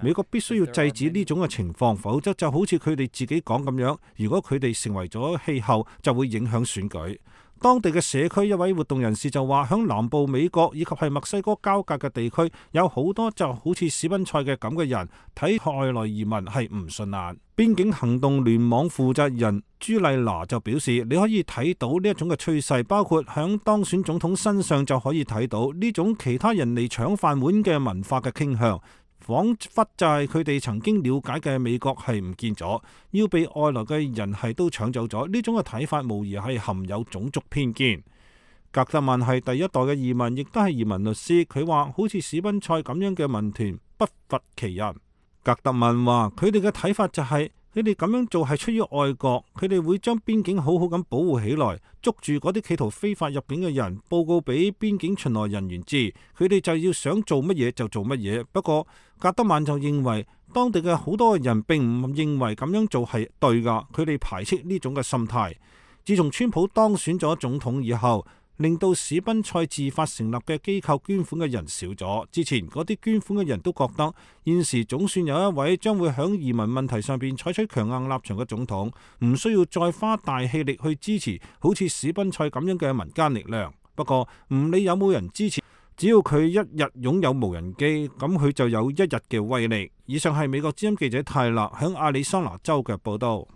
美國必須要制止呢種嘅情況，否則就好似佢哋自己講咁樣，如果佢哋成為咗氣候，就會影響選舉。當地嘅社區一位活動人士就話：響南部美國以及係墨西哥交界嘅地區，有好多就好似史賓塞嘅咁嘅人，睇外來移民係唔順眼。邊境行動聯網負責人朱麗娜就表示：你可以睇到呢一種嘅趨勢，包括響當選總統身上就可以睇到呢種其他人嚟搶飯碗嘅文化嘅傾向。彷彿就係佢哋曾經了解嘅美國係唔見咗，要被外來嘅人係都搶走咗。呢種嘅睇法無疑係含有種族偏見。格特曼係第一代嘅移民，亦都係移民律師。佢話：好似史賓塞咁樣嘅民團不乏其人。格特曼話：佢哋嘅睇法就係佢哋咁樣做係出於愛國，佢哋會將邊境好好咁保護起來，捉住嗰啲企圖非法入境嘅人，報告俾邊境巡邏人員知，佢哋就要想做乜嘢就做乜嘢。不過格德曼就認為，當地嘅好多人並唔認為咁樣做係對㗎，佢哋排斥呢種嘅心態。自從川普當選咗總統以後，令到史賓塞自發成立嘅機構捐款嘅人少咗。之前嗰啲捐款嘅人都覺得，現時總算有一位將會響移民問題上邊採取強硬立場嘅總統，唔需要再花大氣力去支持好似史賓塞咁樣嘅民間力量。不過唔理有冇人支持，只要佢一日擁有無人機，咁佢就有一日嘅威力。以上係美國之音記者泰勒響亞利桑那州嘅報道。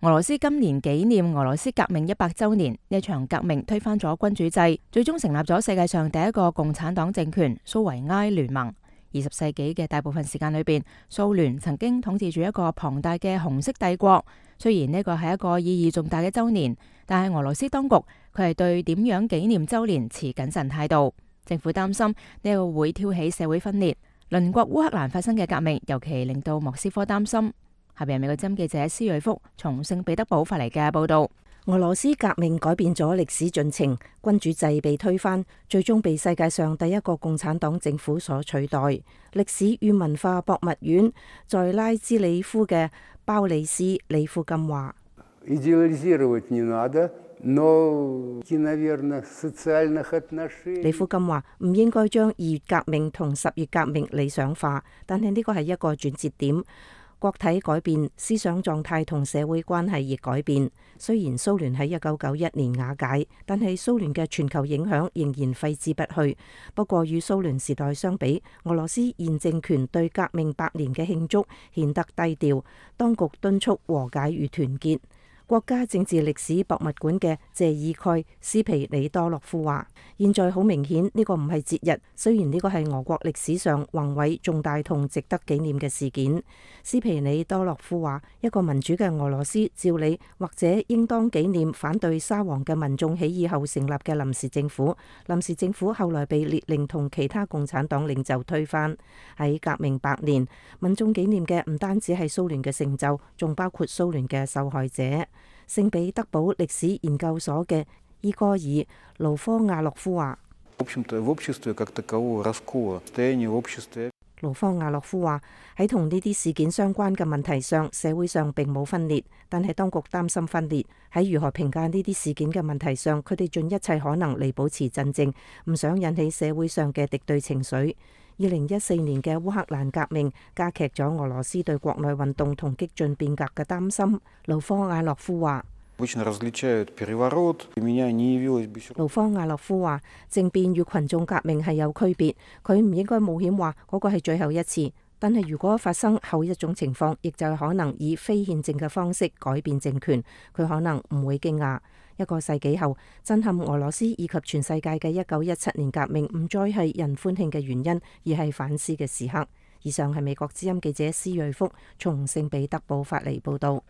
俄羅斯今年紀念俄羅斯革命100週年，呢場革命推翻咗君主制，最終成立咗世界上第一個共產黨政權蘇維埃聯盟。20世紀嘅大部分時間裏邊，蘇聯曾經統治住一個龐大嘅紅色帝國。雖然呢個係一個意義重大嘅週年，但係俄羅斯當局佢係對點樣紀念週年持謹慎態度。政府擔心呢個會挑起社會分裂。鄰國烏克蘭發生嘅革命，尤其令到莫斯科擔心。下邊係美國之音記者施瑞福從聖彼得堡發嚟嘅報道。俄羅斯革命改變咗歷史進程，君主制被推翻，最終被世界上第一個共產黨政府所取代。歷史與文化博物院在拉茲里夫嘅鮑里斯里夫金話：里夫金話唔應該將2月革命同10月革命理想化，但係呢個係一個轉折點。國體改變，思想狀態同社會關係亦改變。雖然蘇聯喺1991年瓦解，但係蘇聯嘅全球影響仍然揮之不去。不過與蘇聯時代相比，俄羅斯現政權對革命100年嘅慶祝顯得低調。當局敦促和解與團結。國家政治歷史博物館嘅謝爾蓋斯皮里多洛夫話：現在好明顯呢個唔係節日，雖然呢個係俄國歷史上宏偉重大同值得紀念嘅事件。斯皮里多洛夫話：一個民主嘅俄羅斯照理或者應當紀念反對沙皇嘅民眾起義後成立嘅臨時政府。臨時政府後來被列寧同其他共產黨領袖推翻。喺革命100年，民眾紀念嘅唔單止係蘇聯嘅成就，仲包括蘇聯嘅受害者。聖彼得堡歷史研究所嘅伊戈爾·盧科亞洛夫話：盧科亞洛夫話喺同呢啲事件相關嘅問題上，社會上並冇分裂，但係當局擔心分裂。喺如何評價呢啲事件嘅問題上，佢哋盡一切可能嚟保持鎮靜，唔想引起社會上嘅敵對情緒。2014年嘅烏克蘭革命加劇咗俄羅斯對國內運動同激進變革嘅擔心。盧科亞洛夫話：盧科亞洛夫話，政變與群眾革命係有區別，佢唔應該冒險話嗰個係最後一次。但係如果發生後一種情況，亦就係可能以非憲政嘅方式改變政權，佢可能唔會驚訝。一個世紀後，震撼俄羅斯以及全世界嘅1917年革命唔再係人歡慶嘅原因，而係反思嘅時刻。以上係美國之音記者施瑞福從聖彼得堡發嚟報道。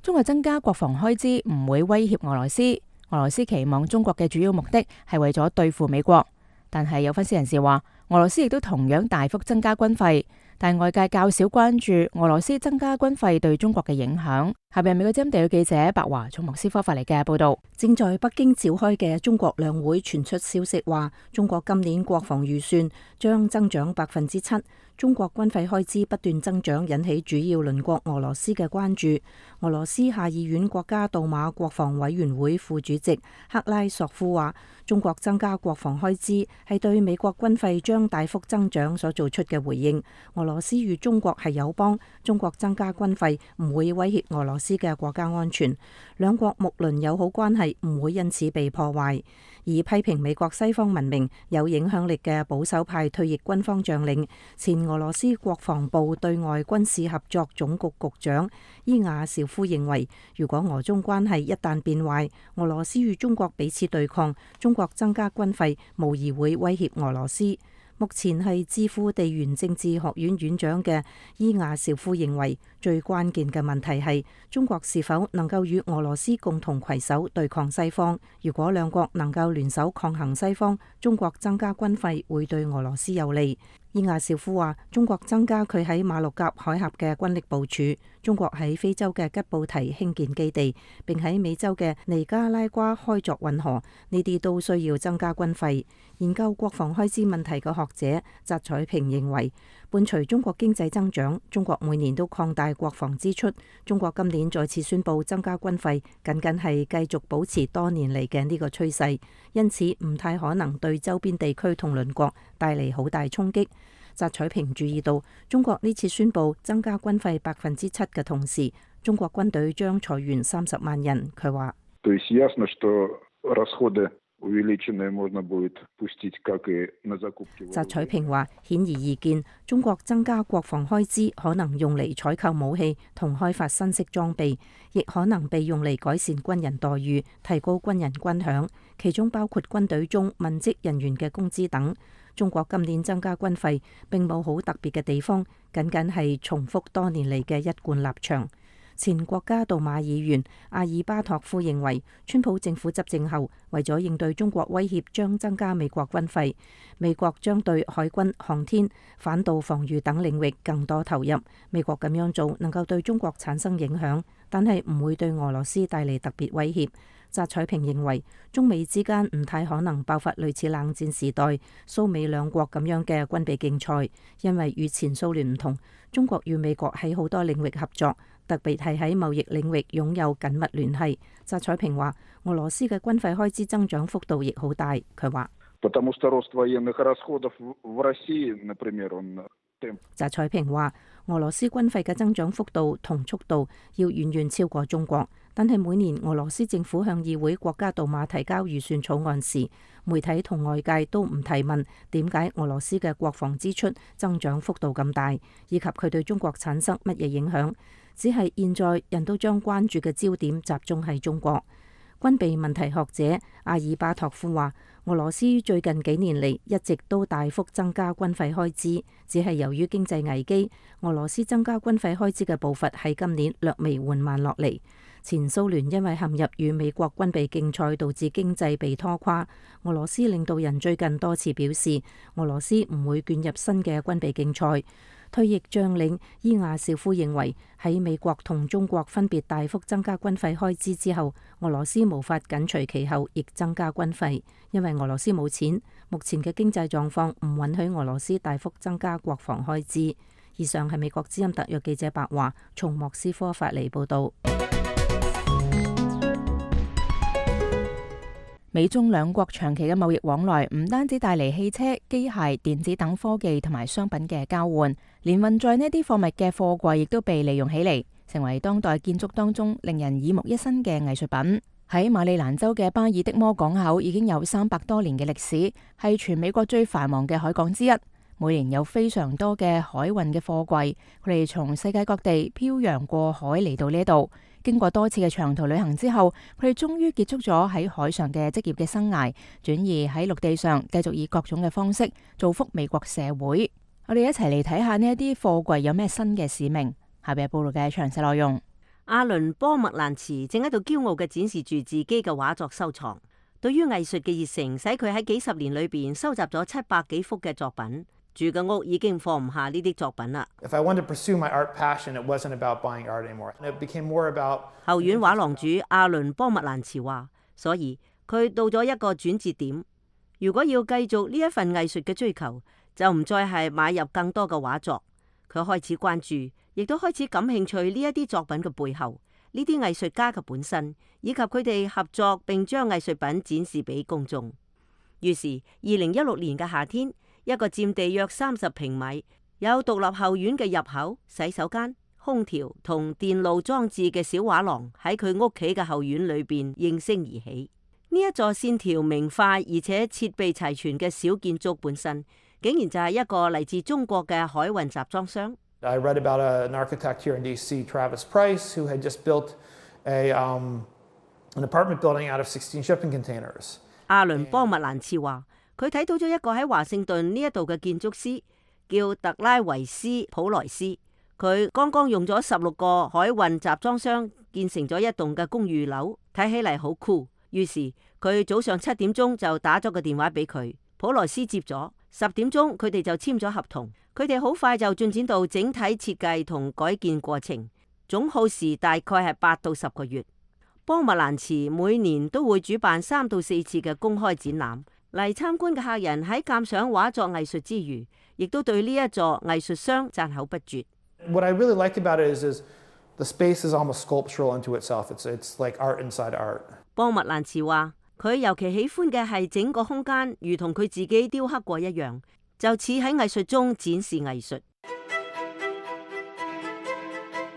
中國增加國防開支唔會威脅俄羅斯。俄羅斯期望中國嘅主要目的係為咗對付美國，但係有分析人士話，俄羅斯亦都同樣大幅增加軍費，但外界較少關注俄羅斯增加軍費對中國嘅影響。下邊美國之音地區記者白華從莫斯科發嚟嘅報道。正在北京召開嘅中國兩會傳出消息話，中國今年國防預算將增長7%。中國軍費開支不斷增長，引起主要鄰國俄羅斯嘅關注。俄羅斯下議院國家杜馬國防委員會副主席克拉索夫話，中國增加國防開支係對美國軍費將大幅增長所做出嘅回應。俄羅斯與中國係友邦，中國增加軍費唔會威脅俄羅斯嘅國家安全，兩國睦鄰友好關係唔會因此被破壞。而批評美國西方文明有影響力嘅保守派退役軍方將領、前俄羅斯國防部對外軍事合作總局局長伊亞紹夫認為，如果俄中關係一旦變壞，俄羅斯與中國彼此對抗，中國增加軍費無疑會威脅俄羅斯。目前係智庫地緣政治學院院長嘅伊亞紹夫認為，最關鍵嘅問題係中國是否能夠與俄羅斯共同攜手對抗西方。如果兩國能夠聯手抗衡西方，中國增加軍費會對俄羅斯有利。伊亞紹夫話，中國增加佢喺馬六甲海峽嘅軍力部署，中國喺非洲嘅吉布提興建基地，並喺美洲嘅尼加拉瓜開鑿運河，呢啲都需要增加軍費。研究國防開支問題嘅學者翟彩平認為，伴隨中國經濟增長，中國每年都擴大國防支出。中國今年再次宣布增加軍費，僅僅係繼續保持多年嚟嘅呢個趨勢，因此唔太可能對周邊地區同鄰國帶嚟好大衝擊。翟彩平注意到，中國呢次宣布增加軍費7%嘅同時，中國軍隊將裁員30萬人。佢話：翟彩平話，顯而易見，中國增加國防開支可能用嚟採購武器同開發新式裝備，亦可能被用嚟改善軍人待遇、提高軍人軍饷，其中包括軍隊中文職人員嘅工資等。中國今年增加軍費並冇好特別嘅地方，僅僅係重複多年嚟嘅一貫立場。前國家杜馬議員阿爾巴托夫認為，川普政府執政後，為咗應對中國威脅，將增加美國軍費。美國將對海軍、航天、反導防禦等領域更多投入。美國咁樣做能夠對中國產生影響，但係唔會對俄羅斯帶嚟特別威脅。翟彩平認為，中美之間唔太可能爆發類似冷戰時代蘇美兩國咁樣嘅軍備競賽，因為與前蘇聯唔同，中國與美國喺好多領域合作，特別係喺貿易領域擁有緊密聯繫。翟彩平話，俄羅斯嘅軍費開支增長幅度亦好大。佢話：翟彩平話，俄羅斯軍費嘅增長幅度同速度要遠遠超過中國，但係每年俄羅斯政府向議會國家杜馬提交預算草案時，媒體同外界都唔提問點解俄羅斯嘅國防支出增長幅度咁大，以及佢對中國產生乜嘢影響。只係現在人都將關注嘅焦點集中喺中國。軍備問題學者阿爾巴托夫話，俄羅斯最近幾年嚟一直都大幅增加軍費開支，只係由於經濟危機，俄羅斯增加軍費開支嘅步伐喺今年略微緩慢落嚟。前蘇聯因為陷入與美國軍備競賽，導致經濟被拖垮。俄羅斯領導人最近多次表示，俄羅斯唔會捲入新嘅軍備競賽。退役將領伊亞少夫認為，喺美國同中國分別大幅增加軍費開支之後，俄羅斯無法緊隨其後亦增加軍費，因為俄羅斯冇錢，目前嘅經濟狀況唔允許俄羅斯大幅增加國防開支。以上係美國之音特約記者白華從莫斯科發嚟報道。美中兩國長期嘅貿易往來唔單止帶嚟汽車、機械、電子等科技同埋商品嘅交換，連運載呢啲貨物嘅貨櫃亦都被利用起嚟，成為當代建築當中令人耳目一新嘅藝術品。喺馬里蘭州嘅巴爾的摩港口已經有300多年嘅歷史，係全美國最繁忙嘅海港之一。每年有非常多嘅海運嘅貨櫃，佢哋從世界各地漂洋過海嚟到呢度。經過多次嘅長途旅行之後，佢哋終於結束咗喺海上嘅職業嘅生涯，轉移喺陸地上繼續以各種嘅方式造福美國社會。我哋一齊嚟睇下呢一啲貨櫃有咩新嘅使命。下邊係報道嘅詳細內容。阿倫波麥蘭茨正喺度驕傲嘅展示住自己嘅畫作收藏。對於藝術嘅熱誠，使佢喺幾十年裏邊收集咗700幾幅嘅作品。住嘅屋已經放唔下呢啲作品啦。後院畫廊主阿倫波麥蘭茨話，所以佢到咗一個轉折點。如果要繼續呢一份藝術嘅追求，就唔再係買入更多嘅畫作。佢開始關注，亦都開始感興趣呢一啲作品嘅背後，呢啲藝術家嘅本身，以及佢哋合作並將藝術品展示俾公眾。於是2016年嘅夏天，一個佔地約30平米、有獨立後院嘅入口、洗手間、空調同電路裝置嘅小畫廊喺佢屋企嘅後院裏邊應聲而起。呢一座線條明快而且設備齊全嘅小建築本身，竟然就係一個嚟自中國嘅海運集裝箱。I read about an architect here in DC, Travis Price, who had just built an apartment building out of 16 shipping containers. 阿倫波麥蘭茨話，佢睇到咗一個喺華盛頓呢一度嘅建築師，叫特拉維斯普萊斯。佢剛剛用咗16個海運集裝箱建成咗一棟嘅公寓樓，睇起嚟好酷。於是佢早上7點鐘就打咗個電話俾佢，普萊斯接咗。10點鐘佢哋就簽咗合同。佢哋好快就進展到整體設計同改建過程，總耗時大概係8到10個月。波麥蘭茨每年都會主辦3到4次嘅公開展覽，嚟參觀嘅客人喺鑑賞畫作藝術之餘，亦都對呢一座藝術箱讚口不絕。What I really like about it is the space is almost sculptural into itself. It's like art inside art. 波麥蘭茨話，佢尤其喜歡嘅係整個空間如同佢自己雕刻過一樣，就似喺藝術中展示藝術。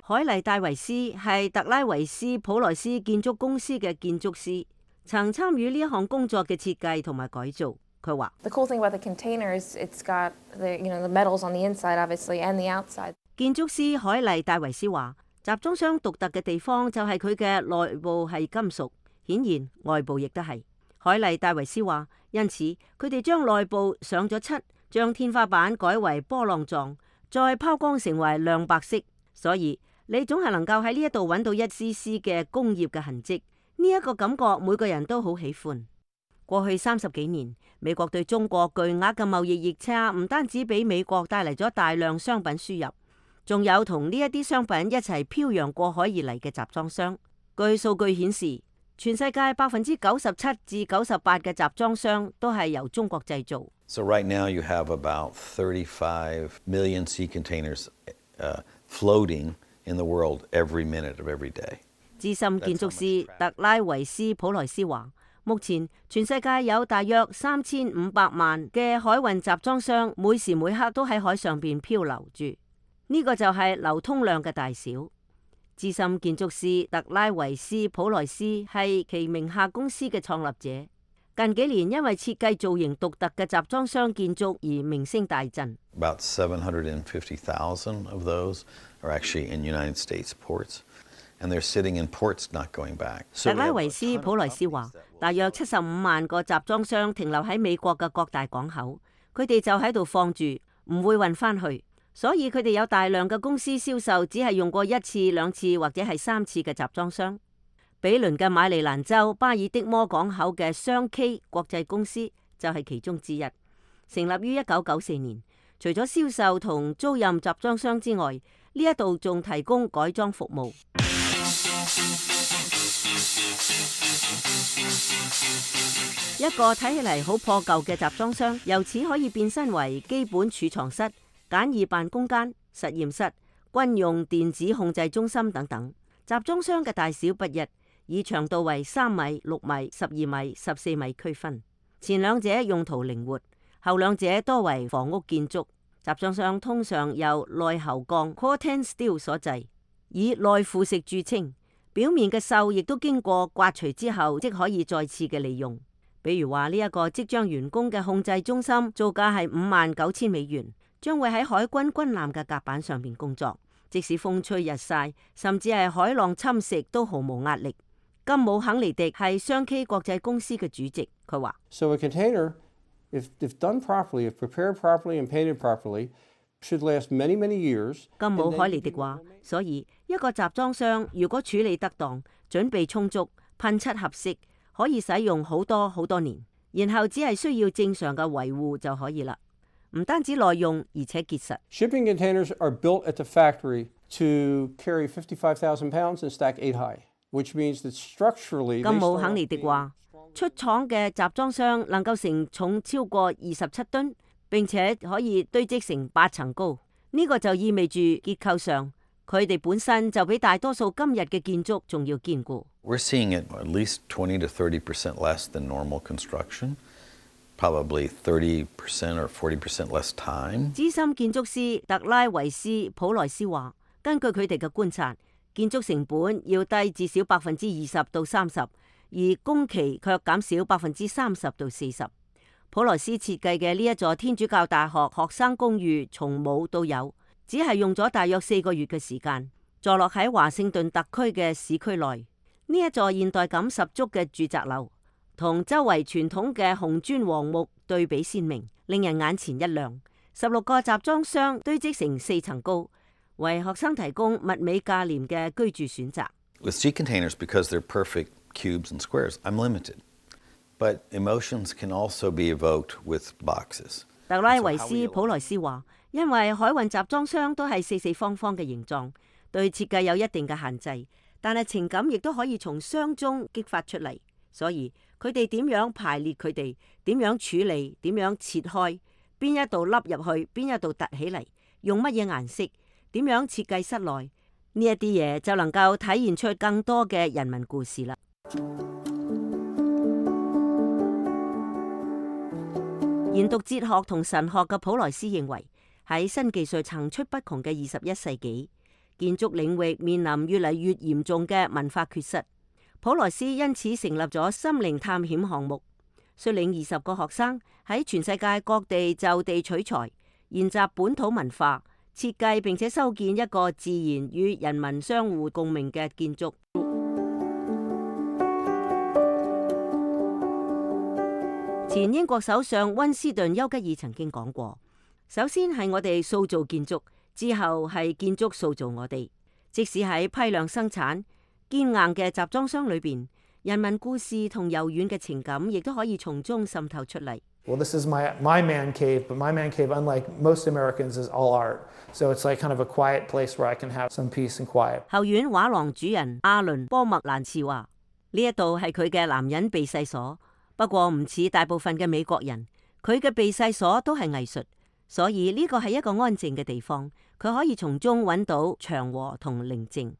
海麗戴維斯係特拉維斯普萊斯建築公司嘅建築師，曾參與呢一項工作嘅設計同埋改造。佢話：The cool thing about the containers, it's got the metals on the inside, obviously, and the outside. 建築師海麗戴維斯話：集裝箱獨特嘅地方就係佢嘅內部係金屬，顯然外部亦都係。海麗戴維斯話：因此佢哋將內部上咗漆，將天花板改為波浪狀，再拋光成為亮白色，所以你總係能夠喺呢一度揾到一絲絲嘅工業嘅痕跡。呢一個感覺每個人都好喜歡。過去30幾年，美國對中國巨額嘅貿易逆差唔單止俾美國帶嚟咗大量商品輸入，仲有同呢一啲商品一齊漂洋過海而嚟嘅集裝箱。據數據顯示，全世界97%至98%嘅集裝箱都係由中國製造。So right now you have about 35 million sea containers floating in the world every minute of every day. 資深建築師特拉維斯普萊斯話：目前全世界有大約3500萬嘅海運集裝箱，每時每刻都喺海上邊漂流住。呢個就係流通量嘅大小。資深建築師特拉維斯普萊斯係其名下公司嘅創立者。近幾年因為設計造型獨特嘅集裝箱建築而名聲大振。About 750,000 of those are actually in United States ports, and they're sitting in ports not going back. 特拉維斯普萊斯話，大約75萬個集裝箱停留喺美國嘅各大港口，佢哋就喺度放住，唔會運返去。所以佢哋有大量嘅公司銷售只係用過1次、2次或者係3次嘅集裝箱。比鄰嘅馬里蘭州巴爾的摩港口嘅雙 K 國際公司就係其中之一，成立於1994年。除咗銷售同租賃集裝箱之外，呢一度仲提供改裝服務。一個睇起嚟好破舊嘅集裝箱，由此可以變身為基本儲藏室、簡易辦公間、實驗室、軍用電子控制中心等等。集裝箱嘅大小不一，以長度為3米、6米、12米、14米區分。前兩者用途靈活，後兩者多為房屋建築。集裝箱通常由內喉鋼 Corten Steel 所製，以耐腐蝕著稱。表面嘅鏽亦都經過刮除之後，即可以再次嘅利用。比如話呢一個即將完工嘅控制中心，造價係59,000美元，將會喺海軍軍艦嘅甲板上面工作，即使風吹日曬，甚至係海浪侵蝕都毫無壓力。金姆肯尼迪係雙 K 國際公司嘅主席，佢話：So a container, if done properly, if prepared properly and painted properly, should last many, many years. 金姆海尼迪話：所以一個集裝箱如果處理得當、準備充足、噴漆合適，可以使用好多年，然後只係需要正常嘅維護就可以啦。唔單止耐用，而且結實。Shipping containers are built at the factory to carry 55,000 pounds and stack 8 high.Which means that structurally, 金姆肯尼迪話，出廠嘅集裝箱能夠承重超過27噸，並且可以堆積成8層高。呢個就意味住結構上，佢哋本身就比大多數今日嘅建築仲要堅固。We're seeing it at least 20 to 30% less than normal construction, probably 30% or 40% less time. 資深建築師特拉維斯普萊斯話，根據佢哋嘅觀察，建築成本要低至少20%到30%，而工期卻減少30%到40%。普萊斯設計嘅呢一座天主教大學學生公寓從冇到有，只係用咗大約4個月嘅時間，坐落喺華盛頓特區嘅市區內。呢一座現代感十足嘅住宅樓，同周圍傳統嘅紅磚黃木對比鮮明，令人眼前一亮。16個集裝箱堆積成4層高，為學生提供物美價廉嘅居住選擇。With sea containers, because they're perfect cubes and squares, I'm limited. But emotions can also be evoked with boxes. 特拉維斯普萊斯話，因為海運集裝箱都係四四方方嘅形狀，對設計有一定嘅限制，但係情感亦都可以從箱中激發出嚟。所以佢哋點樣排列佢哋，點樣處理，點樣切開，邊一度凹入去，邊一度凸起嚟，用乜嘢顏色，點樣設計室內，呢一啲嘢就能夠體現出更多嘅人民故事啦。研讀哲學同神學嘅普萊斯認為，喺新技術層出不窮嘅21世紀，建築領域面臨越嚟越嚴重嘅文化缺失。普萊斯因此成立咗心靈探險項目，率領20個學生喺全世界各地就地取材，研習本土文化，設計並且修建一個自然與人民相互共鳴嘅建築。前英國首相溫斯頓丘吉爾曾經講過，首先係我哋塑造建築，之後係建築塑造我哋。即使喺批量生產堅硬嘅集裝箱裏邊，人民故事同柔軟嘅情感亦都可以從中滲透出嚟。Well, this is my man cave, but my man cave, unlike most Americans, is all art. So it's like kind of a quiet place where I can have some peace and quiet. 後院畫廊主人阿倫波麥蘭茨話：呢一度係佢嘅男人避世所。不過唔似大部分嘅美國人，佢嘅避世所都係藝術，所以呢個係一個安靜嘅地方，佢可以從中揾到祥和同寧靜。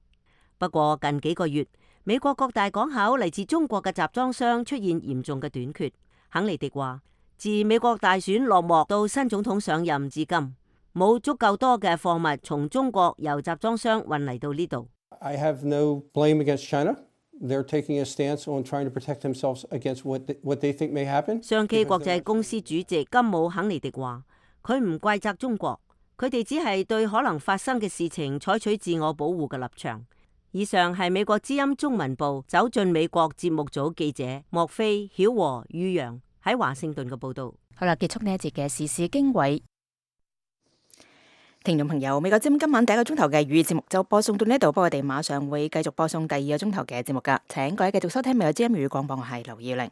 不過近幾個月，美國各大港口嚟自中國嘅集裝箱出現嚴重嘅短缺。肯尼迪話：自美國大選落幕到新總統上任至今，冇足夠多嘅貨物從中國由集裝箱運嚟到呢度。I have no blame against China. They're taking a stance on trying to protect themselves against what they think may happen. 上汽國際公司主席金姆肯尼迪話：佢唔怪責中國，佢哋只係對可能發生嘅事情採取自我保護嘅立場。以上係美國之音中文部走進美國節目組記者莫菲、曉和、于洋喺華盛頓嘅報導。好啦，結束呢一節嘅時事經緯。聽眾朋友，美國之音今晚第一個鐘頭嘅粵語節目就播送到呢度，不過我哋馬上會繼續播送第二個鐘頭嘅節目㗎。請各位繼續收聽美國之音粵語廣播，我係劉耀玲。